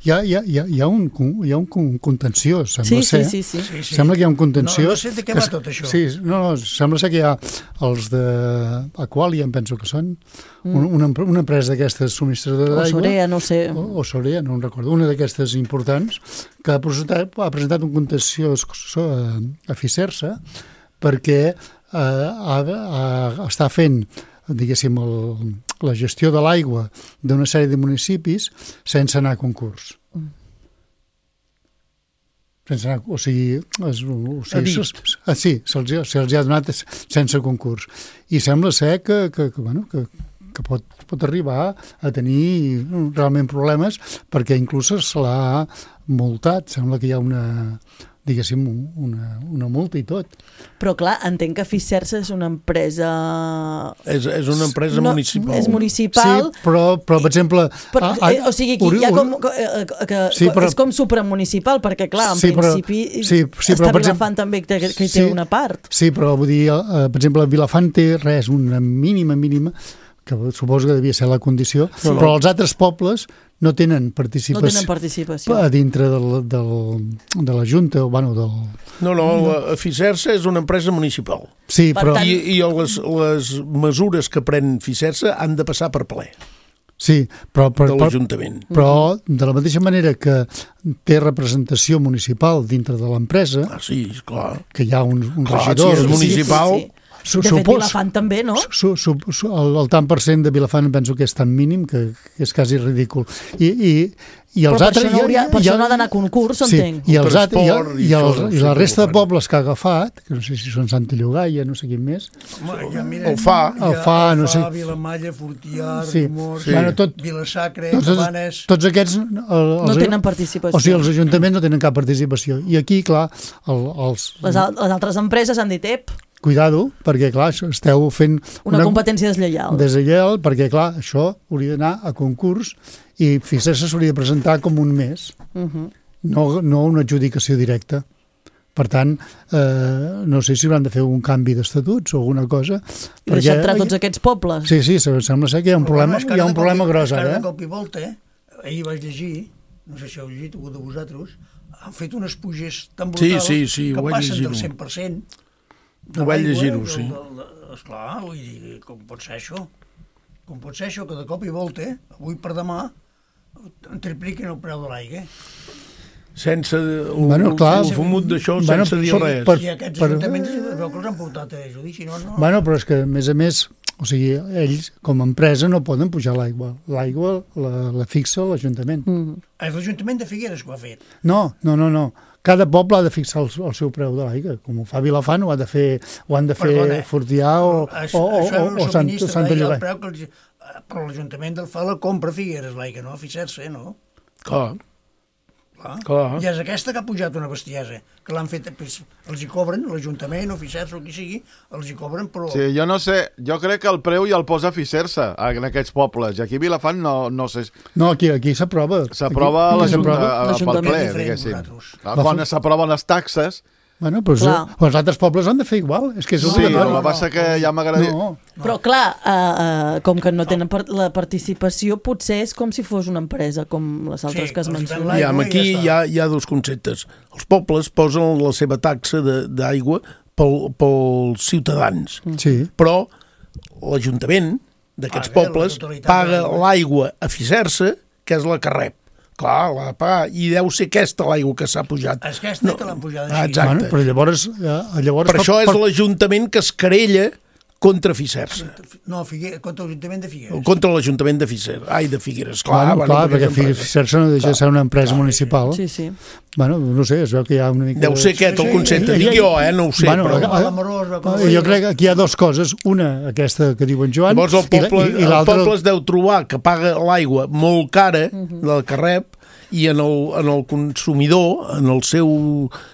Hi ha, hi ha, hi ha, hi ha, un, hi ha un con- contenciós, sembla Sí, ser. sí, sí, sí. Sí, sí. Sembla que hi ha un contenciós... No- no sé de què va que- tot això. Sí, no, no, sembla ser que hi ha els de Aqualia, em penso que són, mm. una, una empresa d'aquestes subministradores O d'aigua... Sorea, no sé. O, o Sorea, no en recordo, una d'aquestes importants, que ha presentat, ha presentat un contenciós a, a Ficersa perquè eh, ha, ha, està fent diguéssim, el, la gestió de l'aigua d'una sèrie de municipis sense anar a concurs. Mm. Sense anar, o sigui, es, o A sigui dit. se, ah, sí, se'ls ha- se'ls ha donat sense concurs. I sembla ser que, que, que, bueno, que, que pot, pot arribar a tenir realment problemes perquè inclús se l'ha multat. Sembla que hi ha una, diguéssim, una, una multa i tot. Però clar, entenc que Ficersa és una empresa... És, és una empresa no, municipal. És municipal. Sí, però, però per exemple... Però, a- a- eh, o sigui, aquí hi ha com, que, eh, que Sí, però- és com supramunicipal, perquè clar, en Sí, però- principi sí, sí, però, està per Vilafant també, que, que hi té Sí. una part. Sí, però vull dir, eh, per exemple, Vilafant té res, una mínima, mínima, que suposo que devia ser la condició, Sí. però els altres pobles no tenen No participació, tenen participació. a dintre del, del, de la Junta, o bueno, del... No, no, la Ficersa és una empresa municipal. Sí, Per però... tant- I, i les, les mesures que pren Ficersa han de passar per ple Sí, però, però, de però, l'Ajuntament. però de la mateixa manera que té representació municipal dintre de l'empresa, Ah, sí, esclar. que hi ha un, un Clar, regidor... si és municipal... Sí, sí. Su, De fet, supos- Vilafant també, no? Su, su, su, el, el tant per cent de Vilafant penso que és tan mínim que, que és quasi ridícul. I, i, i els Però per altres... això no, hauria, per i- això no ha d'anar a concurs, sí, entenc. i, els altres, i, Transport i i, els, això, i sí la que resta ho de fan. pobles que ha agafat, que no sé si són Santa Llogaia, no sé quin més, Home, ja, mira, El Fa. hi ha El Fa, no sé. Vilamalla, Fortià, Sí. Rimors, Sí. Bueno, tot- Vilasacre, tots, Cabanes... tots aquests... El, els, No tenen participació. O sigui, els ajuntaments no tenen cap participació. I aquí, clar, el, els... Les, al- les altres empreses han dit, ep, Cuidado, perquè, clar, això esteu fent... una, competència deslleial. deslleial, perquè, clar, això hauria d'anar a concurs i Ficersa s'hauria de presentar com un mes, Uh -huh. no, no una adjudicació directa. Per tant, eh, no sé si hauran de fer un canvi d'estatuts o alguna cosa. I deixar entrar tots aquests pobles. Sí, sí, sembla ser que hi ha un problema, hi ha un problema gros ara. ara. De cop i volta, eh? Ahir vaig llegir, no sé si heu llegit algú de vosaltres, han fet unes puges tan Sí, brutals sí, sí, que ho vaig passen llegir-ho. del cent per cent. Ho vaig llegir-ho, sí. Esclar, vull dir, com pot ser això? Com pot ser això que de cop i volta, eh, avui per demà, tripliquen el preu de l'aigua. Sense el, bueno, clar, el fumut d'això, bueno, sense dir per, res. Per, I aquests per, ajuntaments es veu que els han portat a judici, no? no? Bueno, però és que, a més a més, o sigui, ells, com a empresa, no poden pujar l'aigua. L'aigua la, la fixa l'Ajuntament. Mm. És l'Ajuntament de Figueres que ho ha fet. No, no, no, no. Cada poble ha de fixar el, el seu preu de l'aigua. Com ho fa Vilafant, ho, ha de fer, ho han de fer Perdona, Fortià o, això, o, això o, o Sant, Santa Llogaia. El preu que els, però l'Ajuntament del fa la compra a Figueres, l'aigua, no? A Fisser-se, no? Clar. Clar. Clar. I és aquesta que ha pujat una bestiesa, que l'han fet, pues, els hi cobren, l'Ajuntament o Fisser-se o qui sigui, els hi cobren, però... Sí, jo no sé, jo crec que el preu ja el posa Fisser-se en aquests pobles, i aquí a Vilafant no, no sé... No, aquí, aquí s'aprova. S'aprova pel ple, diguéssim. Quan s'aproven les taxes... Bueno, però això, els altres pobles han de fer igual. És que és sí, el que passa que ja m'agradaria... No, no. Però clar, uh, uh, com que no tenen part la participació, potser és com si fos una empresa, com les altres sí, que es mencionen. Ja, aquí hi ha, hi ha dos conceptes. Els pobles posen la seva taxa d'aigua pel, pels ciutadans. Sí. Però l'Ajuntament d'aquests pobles paga l'aigua a Fisser-se, que és la que rep. Clar, l'ha de pagar, i deu ser aquesta l'aigua que s'ha pujat. És aquesta no. que l'han pujat així. Ah, exacte. Bueno, però llavors... Eh, llavors per això és per... l'Ajuntament que es querella contra Fisser-se. No, Figueres, contra l'Ajuntament de Figueres. Contra l'Ajuntament de Figueres. Ai, de Figueres, clar. Bueno, clar, perquè Fisser-se no deixa de ser una empresa clar, municipal. Sí, sí. Bueno, no sé, es veu que hi ha una mica... Deu ser aquest el concepte, dic jo, eh, no ho sé. Bueno, però... Jo crec que aquí hi ha dues coses. Una, aquesta que diu en Joan, llavors el poble, i, i, i el poble es deu trobar que paga l'aigua molt cara uh-huh. del que rep, i en el, en el consumidor, en el seu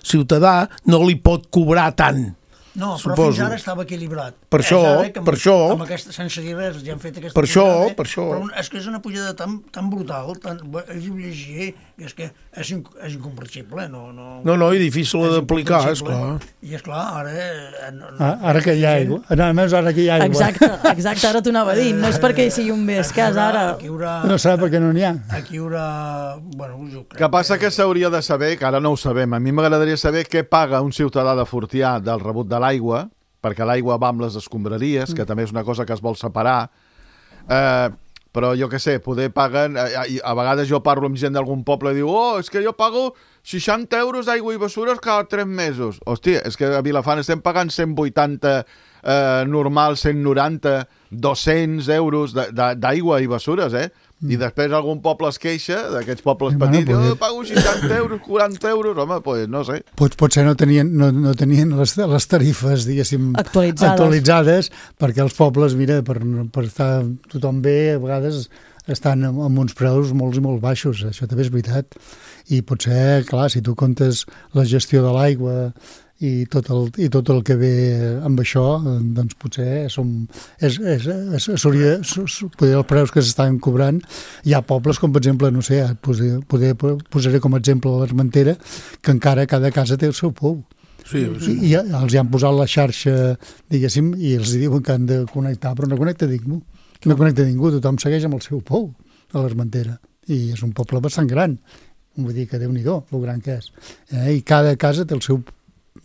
ciutadà, no li pot cobrar tant. No, però suposo. Fins ara estava equilibrat. Per això, amb, per això... Amb aquesta, sense dir res, ja han fet aquesta per pujada. Això, per això. Però és que és una pujada tan, tan brutal, tan, és llegia, és que és, inc és incomprensible. No, no, no, no i difícil d'aplicar, esclar. I esclar, ara... No, ah, ara que hi ha aigua. A més, ara que hi ha aigua. Exacte, exacte, ara t'ho anava a dir. No és perquè hi sigui un més cas, ara... Haurà, no sap perquè no n'hi ha. Aquí hi haurà... Bueno, jo crec que passa que s'hauria de saber, que ara no ho sabem, a mi m'agradaria saber què paga un ciutadà de Fortià del rebut de l'aigua, perquè l'aigua va amb les escombraries, que mm. també és una cosa que es vol separar, eh, però jo què sé, poder paguen... Eh, a vegades jo parlo amb gent d'algun poble i diu, oh, és que jo pago seixanta euros d'aigua i bessures cada tres mesos. Hòstia, és que a Vilafant estem pagant cent vuitanta eh, normal, cent noranta, dos-cents euros d'aigua i bessures, eh? I després algun poble es queixa, d'aquests pobles bueno, petits, pues... oh, pago seixanta euros, quaranta euros, home, pues no sé. Pot, potser no tenien, no, no tenien les, les tarifes, diguéssim, actualitzades. actualitzades, perquè els pobles, mira, per, per estar tothom bé, a vegades estan amb, amb uns preus molt i molt baixos, això també és veritat. I potser, clar, si tu comptes la gestió de l'aigua i tot el, i tot el que ve amb això, doncs potser som, és, és, és, s'hauria, poder els preus que s'estan cobrant. Hi ha pobles com, per exemple, no sé, poder, poder, posaré com a exemple l'Armentera, que encara cada casa té el seu pou. Sí, sí. I, i els hi han posat la xarxa, diguéssim, i els diuen que han de connectar, però no connecta ningú. No connecta ningú, tothom segueix amb el seu pou a l'Armentera. I és un poble bastant gran. Vull dir que Déu-n'hi-do, el gran que és. Eh? I cada casa té el seu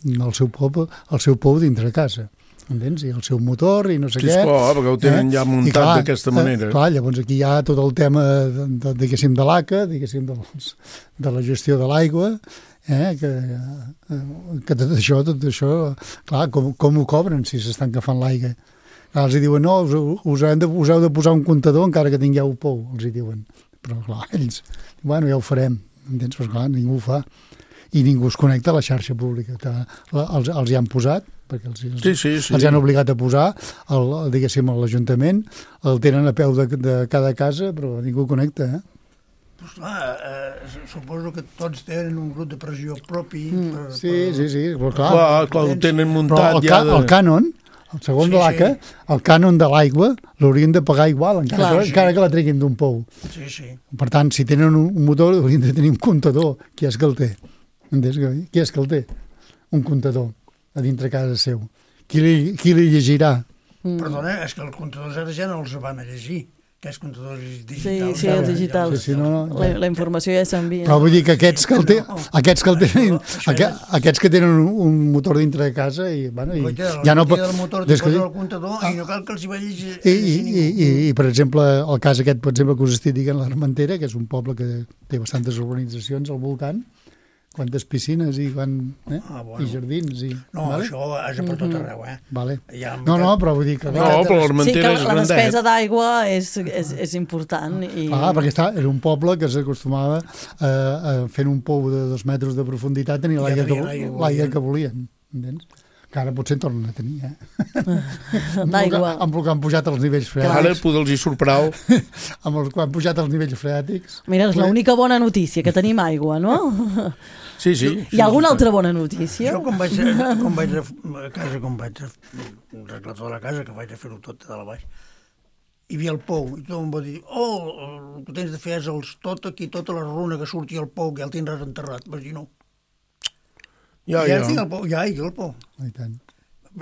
el seu pou, el seu pou dintre casa, entens? I el seu motor i no sé sí, què. Sí, esclar, perquè ho tenen eh? ja muntat d'aquesta manera. Eh, clar, llavors aquí hi ha tot el tema, de, de, diguéssim, de l'A C A, diguéssim, de, de la gestió de l'aigua, eh? que, que tot això, tot això, clar, com, com ho cobren si s'estan agafant l'aigua? Els hi diuen, no, us, us, heu de, us heu de posar un comptador encara que tingueu pou, els hi diuen. Però, clar, ells, bueno, ja ho farem, entens? Però, clar, ningú ho fa. I ningú es connecta a la xarxa pública, que els, els hi han posat, perquè els, els, sí, sí, sí. els han obligat a posar, el, diguéssim, a l'Ajuntament, el tenen a peu de, de cada casa, però ningú connecta, eh? Pues clar, eh, suposo que tots tenen un grup de pressió propi. Mm. Per, sí, per... sí, sí, però clar. Clar, clar ho tenen muntat però el, ja ca de... el cànon, el segon sí, de l'A C A, sí. El cànon de l'aigua l'haurien de pagar igual, encara, clar, que, sí. encara que la treguin d'un pou. Sí, sí. Per tant, si tenen un, un motor, haurien de tenir un comptador, qui és que el té? Entens? Qui és que el té? Un comptador a dintre casa seu. Qui li, qui li llegirà? Mm. Perdona, és que els comptadors ara ja no els van a llegir. Aquests comptadors digitals. Sí, sí, els digitals. Sí, sí, no, no. La, la informació ja s'envia. Però vull dir que aquests que, el te, aquests que, el tenen, aqu- aquests que tenen un, un motor dintre de casa i, bueno, i Coita, ja no pot... El motor des posa que, el comptador i no cal que els hi vegis... i, i, i, i, i, per exemple, el cas aquest, per exemple, que us estic dient, l'Armentera, que és un poble que té bastantes urbanitzacions al voltant, quantes piscines i, quan, eh? Ah, bueno. I jardins. I, No, vale? això és per tot arreu, eh? Vale. Ja, No, no, però vull dir que... No, però l'Armentera és Sí, que la grandet. despesa d'aigua és, és, és important. I... Ah, perquè està, era un poble que s'acostumava a, a fent un pou de dos metres de profunditat tenir Ja l'aigua que, tenien l'aigua que l'aigua que volien, entens? Que ara potser en tornen a tenir, eh? D'aigua. Amb el que han pujat els nivells freàtics. Ara poder-los hi surt prou. Amb el que han pujat els nivells freàtics. Mira, és l'única bona notícia, que tenim aigua, no? Sí, sí. Hi ha alguna altra bona notícia? Jo quan vaig, quan vaig a, a casa, quan vaig a arreglar tota la casa, que vaig a fer-ho tot de dalt a baix, hi havia el pou, i tothom va dir, oh, el que tens de fer és els, tot aquí, tota la runa que surti al pou, que ja el tindràs enterrat. Vaig dir, no. Ja, ja. ja. Tinc el pou, ja, hi ha el pou. I tant.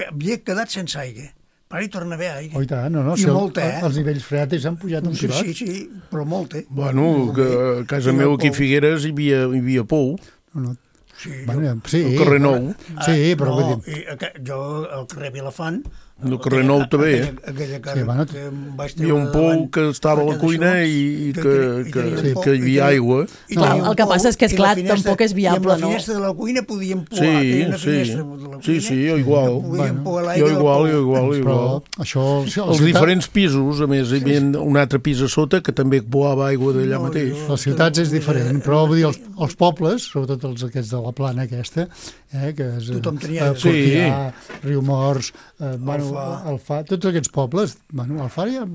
Havia quedat sense aigua. Per ara hi torna a haver aigua. Oh, i tant, no, no. I Si el, molta, eh? els nivells freàtics han pujat un Sí, pilot. sí, sí, però molta. Bueno, que a casa I el meu aquí a pou. Figueres hi havia, hi havia pou. No, no. Sí, Bueno, sí, El carrer Nou. Sí, però no, vull dir... i aqu- jo al carrer Vilafant... El carrer Nou també, eh? Aquella, aquella casa Sí, bueno, que em vaig Hi havia un treure pou davant, que estava a la perquè cuina d'això, i, i que- que, i que, tenia un que, pou, que hi i havia tenia- aigua. i Clar, tenia un el que pou, passa és que, i la esclar, finestra- tampoc és viable, I amb la no? finestra de la cuina podíem pouar. Sí, tenia una sí. finestra de la Sí, cuina, sí, jo igual. podíem Bueno, pouar Jo l'aigua del igual, pou. jo igual, Però igual. això... això Els diferents pisos, a més, hi havia un altre pis a sota que també poava aigua d'allà No, mateix. jo- Les ciutats és diferent, però vull dir, els, els pobles, sobretot els aquests de la plana aquesta, eh, que és Tothom tenia- eh, Fortià, Sí. Riumors, eh, bueno, Alfà. Alfà, tots aquests pobles, bueno, Alfà ja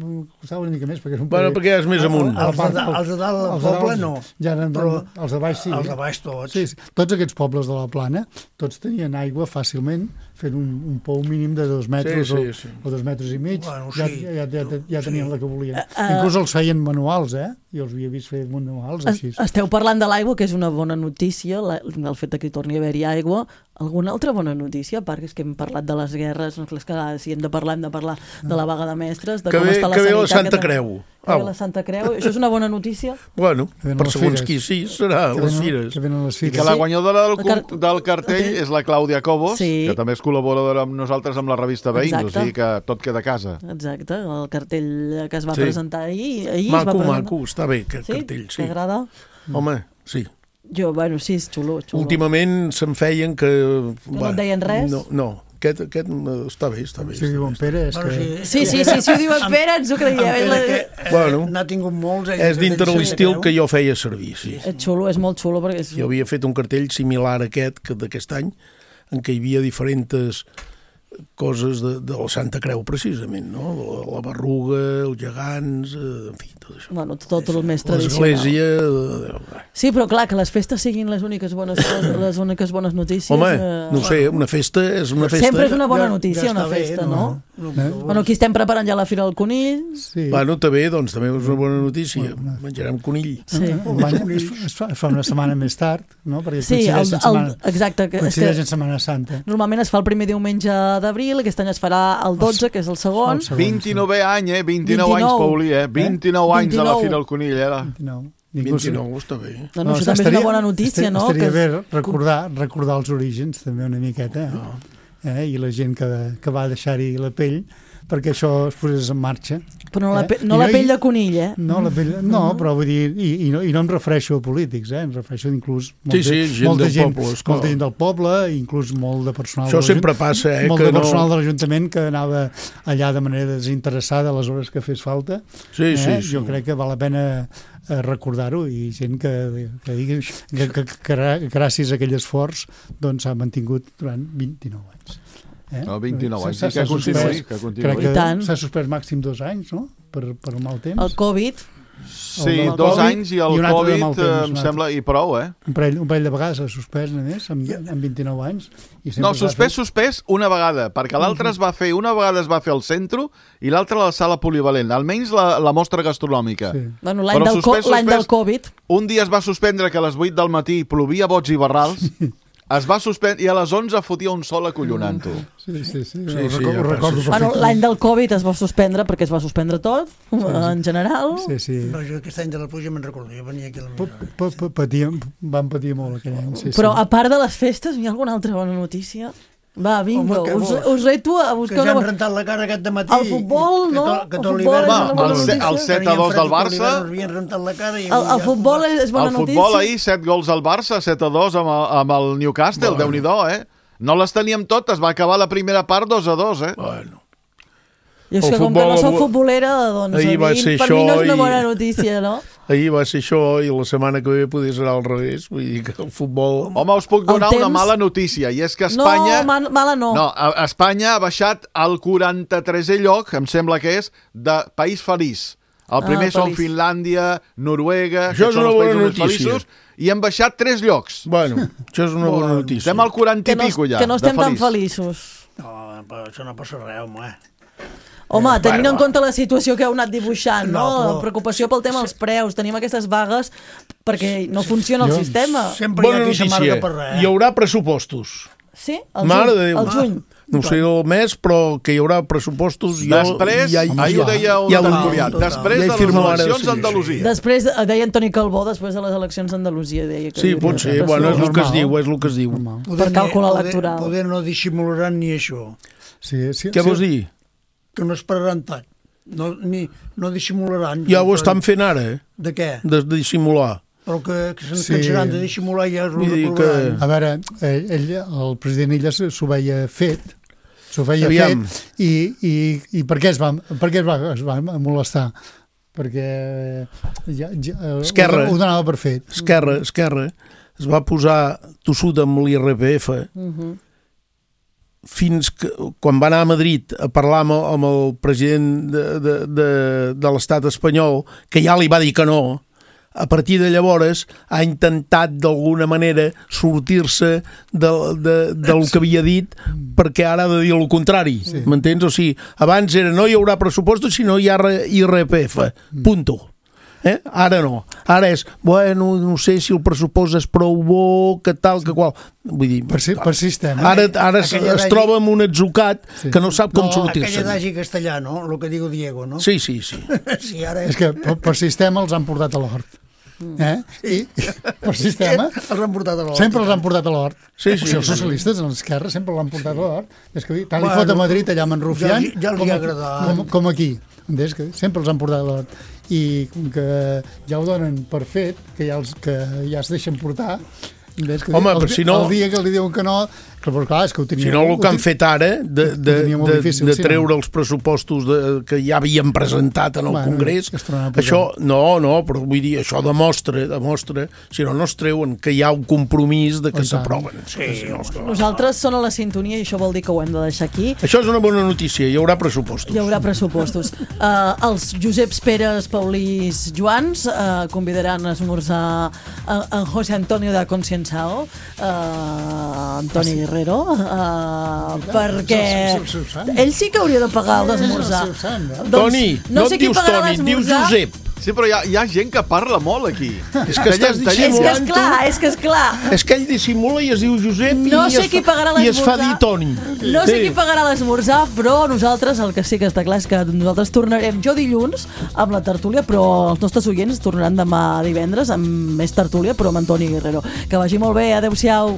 costava una mica més, perquè és un Bueno, perquè és més amunt. A la Els de part- da- els de dalt del els de dalt poble no, Ja eren, però els de baix sí. els de baix tots. Sí, sí. Tots aquests pobles de la plana, tots tenien aigua fàcilment, fent un, un pou mínim de dos metres Sí, sí, sí. O, o dos metres i mig, Bueno, ja, sí. ja, ja, ja, ja tenien la que volien. uh, Inclús els feien manuals, eh? Jo els havia vist fer manuals Es- així. Esteu parlant de l'aigua, que és una bona notícia, la, el fet de que hi torni a haver-hi aigua. Alguna altra bona notícia, a part que és que hem parlat de les guerres, no, és que si hem de parlar hem de parlar de la vaga de mestres, de Que com ve- està la que ve sanitat. la Santa que- Creu. Que ve Au. la Santa Creu. Això és una bona notícia? Bueno, Que venen per les segons fires. qui sí, serà, Que les venen- fires. Que venen les I fires. que la guanyadora del, El car- cu- del cartell és la Clàudia Cobos, Sí. que també és col·laboradora amb nosaltres amb la revista Veïns, o Exacte. sigui que tot queda a casa. Exacte, el cartell que es va Sí. presentar ahir. ahir es va Maco, presentar. maco, està bé, aquest Sí? cartell, sí. T'agrada? Home, sí. Jo, bueno, sí, és xulo, xulo. Últimament se'n feien que... no et deien res? No, no. Aquest, aquest eh, està bé, està bé. Si diuen Pere, és Bueno, que... Sí, sí, sí, si ho diuen Pere, ens ho creiem. En És, la... Pere, que, eh, Bueno. n'ha tingut molts. ell És que dintre tenia l'estil Santa que Creu. jo feia servir, sí. és xulo, és molt xulo, perquè és... Jo havia fet un cartell similar a aquest, que d'aquest any, en què hi havia diferents coses de, de la Santa Creu, precisament, no? La, la berruga, els gegants, eh, en fi, tot això. Bueno, tot el més tradicional. L'església... eh, Sí, però clar, que les festes siguin les úniques bones, les úniques bones notícies... Home, eh, no ho sé, una festa és una festa... Sempre és una bona Ja- notícia, ja una està bé, festa, no? no? No, Eh? no, Bueno, aquí estem preparant ja la Fira del Conill. Sí. Bueno, també, doncs, també és una bona notícia. Menjarem conill. Sí, Un any, es, fa, es, fa, es fa una setmana més tard, no? Perquè sí el, coincideix, en el, setmana, exacte. Que, és coincideix que en Setmana Santa. normalment es fa el primer diumenge d'abril, aquest any es farà el dotze, que és el segon. El segon. vint-i-novè any, eh? vint-i-nou anys, vint-i-nou. Paulí, eh? vint-i-nou anys a la vint-i-nou. Fira del Conill, eh? No. Inclús- vint-i-nou, està bé. No, no, això també és una bona notícia, no? Estaria Que- bé recordar, recordar els orígens, també una miqueta, eh? eh? I la gent que, que va deixar-hi la pell perquè això es posés en marxa. Però no la, Eh? pe no I la no- pell i- de conill, eh? No, la pell, no, però vull dir, i, i, no, i no em refereixo a polítics, eh? Em refereixo inclús Sí, sí, gent molta del gent, poble, esclar. molta gent del poble, inclús molt de personal. Això de sempre l'Ajunt- passa, eh, Molt que de no- personal de l'Ajuntament que anava allà de manera desinteressada a les hores que fes falta. Sí, eh? sí, sí. Jo crec que val la pena eh, recordar-ho i gent que, que digui que, que, que, que gràcies a aquell esforç doncs s'ha mantingut durant vint-i-nou anys. Eh? No, vint-i-nou anys, S'ha- sí, que s'ha continuï, suspès- que continuï. Crec I que tant. s'ha suspès màxim dos anys, no?, per, per un mal temps. El Covid, Sí, El dos Covid anys i el i un altre de Covid, mal temps, eh, un em altre. sembla, i prou, eh? Un parell, un parell de vegades s'ha suspès, a més, amb, amb vint-i-nou anys. I sempre No, s'ha suspès, fet- suspès una vegada, perquè l'altre es va fer, una vegada es va fer al centre i l'altra a la sala polivalent, almenys la, la mostra gastronòmica. Sí. bueno, l'any Però del, co suspès, l'any del suspès, Covid, Un dia es va suspendre que a les vuit del matí plovia bots i barrals es va suspendre i a les onze fotia un sol acollonant-ho. Sí, sí, sí. Sí, Ho sí, recordo, ja ho recordo passa. Bueno, perfectament. l'any del Covid es va suspendre perquè es va suspendre tot, en general. Sí, sí. No, jo aquest any de la pluja me'n recordo, jo venia aquí a la Pa- pa- pa- Patíem, vam patir molt aquell any. Sí, Però sí. a part de les festes, hi ha alguna altra bona notícia? Va, vinga, Home, que us, bo. us reto a Que buscar ja han una... rentat la cara aquest matí. El futbol, no? Que El tot futbol l'hivern... és una bona el se- notícia. el set a dos del Barça. Ens havien rentat la cara i... El, el futbol és bona El notícia. futbol ahir, set gols al Barça, set a dos amb el, amb el Newcastle, Bueno. Déu-n'hi-do, eh? No les teníem totes, va acabar la primera part dos a dos, eh? Bueno. Jo és El que com que futbol- no soc futbolera, doncs Ahir a va mi, ser per això mi no és una i- bona notícia, no? Ahir va ser això i la setmana que ve podria ser al revés. Vull dir que el futbol... Home, us puc donar El una temps- mala notícia, i és que Espanya... No, man, mala no. No, a- Espanya ha baixat al quaranta-tresè lloc, em sembla que és, de país feliç. El primer Ah, són feliç. Finlàndia, Noruega, Això que és són una els bona països més notícia. feliços, i hem baixat tres llocs. Bueno, això és una bona notícia. Estem al quaranta que i no, pico ja, que no de estem tan feliç. feliços. No, però això no passa res, home. Home, Eh, tenint bueno, en compte la situació que heu anat dibuixant, no? No, però- La preocupació pel tema dels preus, tenim aquestes vagues perquè no funciona el Jo- sistema. Sempre hi ha Bona qui s'amarga notícia, per res. hi haurà pressupostos. Sí? El Mare juny. de Déu. El juny. No sé el mes, però que hi haurà pressupostos. Jo, Després, ja, ahir ho deia un ja, tertulià, ja, després ja hi de les firmo ara, eleccions sí, a Andalusia. Després, eh, deia Antoni Calbó, després de les eleccions d'Andalusia, deia que... Sí, hi havia pot ser. pressió. Bueno, és el que es Normal. diu, és el que es diu. Per càlcul poder, electoral. Poder no dissimularan ni això. Sí, sí, Què sí. vols dir? Que no esperaran tant. No, ni, no dissimularan. Ja ho estan fent ara, eh? De què? De dissimular. Però que, que se'n Sí. cansaran de dissimular i ja es ho Vull dir reprovaran. A veure, ell, ell, el president Illa s'ho veia fet, s'ho veia Aviam. fet, i, i, i per què es va, per què es va, es va molestar? Perquè ja, ja, eh, Esquerra. ho, ho donava per fet. Esquerra, Esquerra, es va posar tossut amb l'I R P F Mhm. fins que, quan va anar a Madrid a parlar amb el, amb el president de, de, de, de l'estat espanyol, que ja li va dir que no, a partir de llavors ha intentat d'alguna manera sortir-se de, de, del que havia dit, perquè ara ha de dir el contrari, sí. M'entens? O sigui, abans era no hi haurà pressupostos si no hi ha I R P F, punto. Eh? Ara no, ara és bueno, no sé si el pressupost és prou bo, que tal, que qual, vull dir Per, si, per sistema. ara, ara es, Aquella es d'allí- troba amb un atzucat Sí. que no sap com No, sortir-se. aquell adagi castellà, no? El que diu Diego, no? Sí, sí, sí. Sí, ara És que per, per sistema els han portat a l'hort. Eh? I, per sistema els han portat a l'hort. sempre els han portat a l'hort. Sí, O sí, sigui, els sí. socialistes, l'esquerra, sempre l'han portat a l'hort. És que tant li Bueno, fot a Madrid allà amb en Rufián, ja els- ja els hi com, ha aquí- agradat. com, com aquí. Entens? Que sempre els han portat a l'hort. I com que ja ho donen per fet, que ja, els, que ja es deixen portar, entens? Que Home, el, però si no- el dia que li diuen que no, que, però clar, és que ho tenia... Si no, el que han ho- fet ara de, de, ho tenia molt de, difícil, de sí, no? treure els pressupostos de, que ja havien presentat en el Bueno, Congrés, que es tornaran a posar. això, no, no, però vull dir, això demostra, demostra, si no, no es treuen, que hi ha un compromís de que Oh, i tant. s'aproven. Sí, Si no, és que- Nosaltres són a la sintonia i això vol dir que ho hem de deixar aquí. Això és una bona notícia, hi haurà pressupostos. Hi haurà pressupostos. Uh, els Joseps Peres, Paulís, Joans uh, convidaran a esmorzar a, a José Antonio da Concienzao, uh, Antoni Guerrero, uh, perquè és el seu sant. ell sí que hauria de pagar l'esmorzar. És el seu sant, eh? Doncs Toni, no, sé et qui dius pagarà Toni, et dius l'esmorzar. Josep. Sí, però hi ha, hi ha gent que parla molt aquí. És que estàs Tallem- És tallem- que dissimulant és clar, és que és clar. És que ell dissimula i es diu Josep No i, sé es qui fa, pagarà i es fa l'esmorzar. dir Toni. No sé qui pagarà l'esmorzar, però nosaltres, el que sí que està clar és que nosaltres tornarem jo dilluns amb la tertúlia, però els nostres oients tornaran demà divendres amb més tertúlia, però amb Antoni Guerrero. Que vagi molt bé, adeu-siau.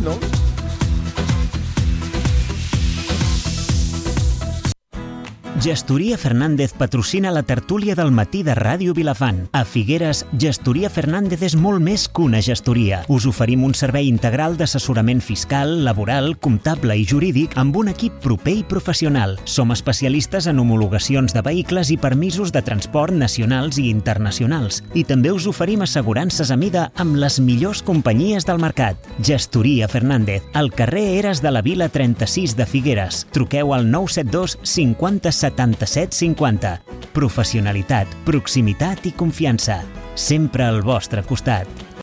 No? Gestoria Fernández patrocina la tertúlia del matí de Ràdio Vilafant. A Figueres, Gestoria Fernández és molt més que una gestoria. Us oferim un servei integral d'assessorament fiscal, laboral, comptable i jurídic amb un equip proper i professional. Som especialistes en homologacions de vehicles i permisos de transport nacionals i internacionals. I també us oferim assegurances a mida amb les millors companyies del mercat. Gestoria Fernández, al carrer Eres de la Vila trenta-sis de Figueres. Truqueu al nou set dos cinquanta setanta-set cinquanta. Professionalitat, proximitat i confiança. Sempre al vostre costat.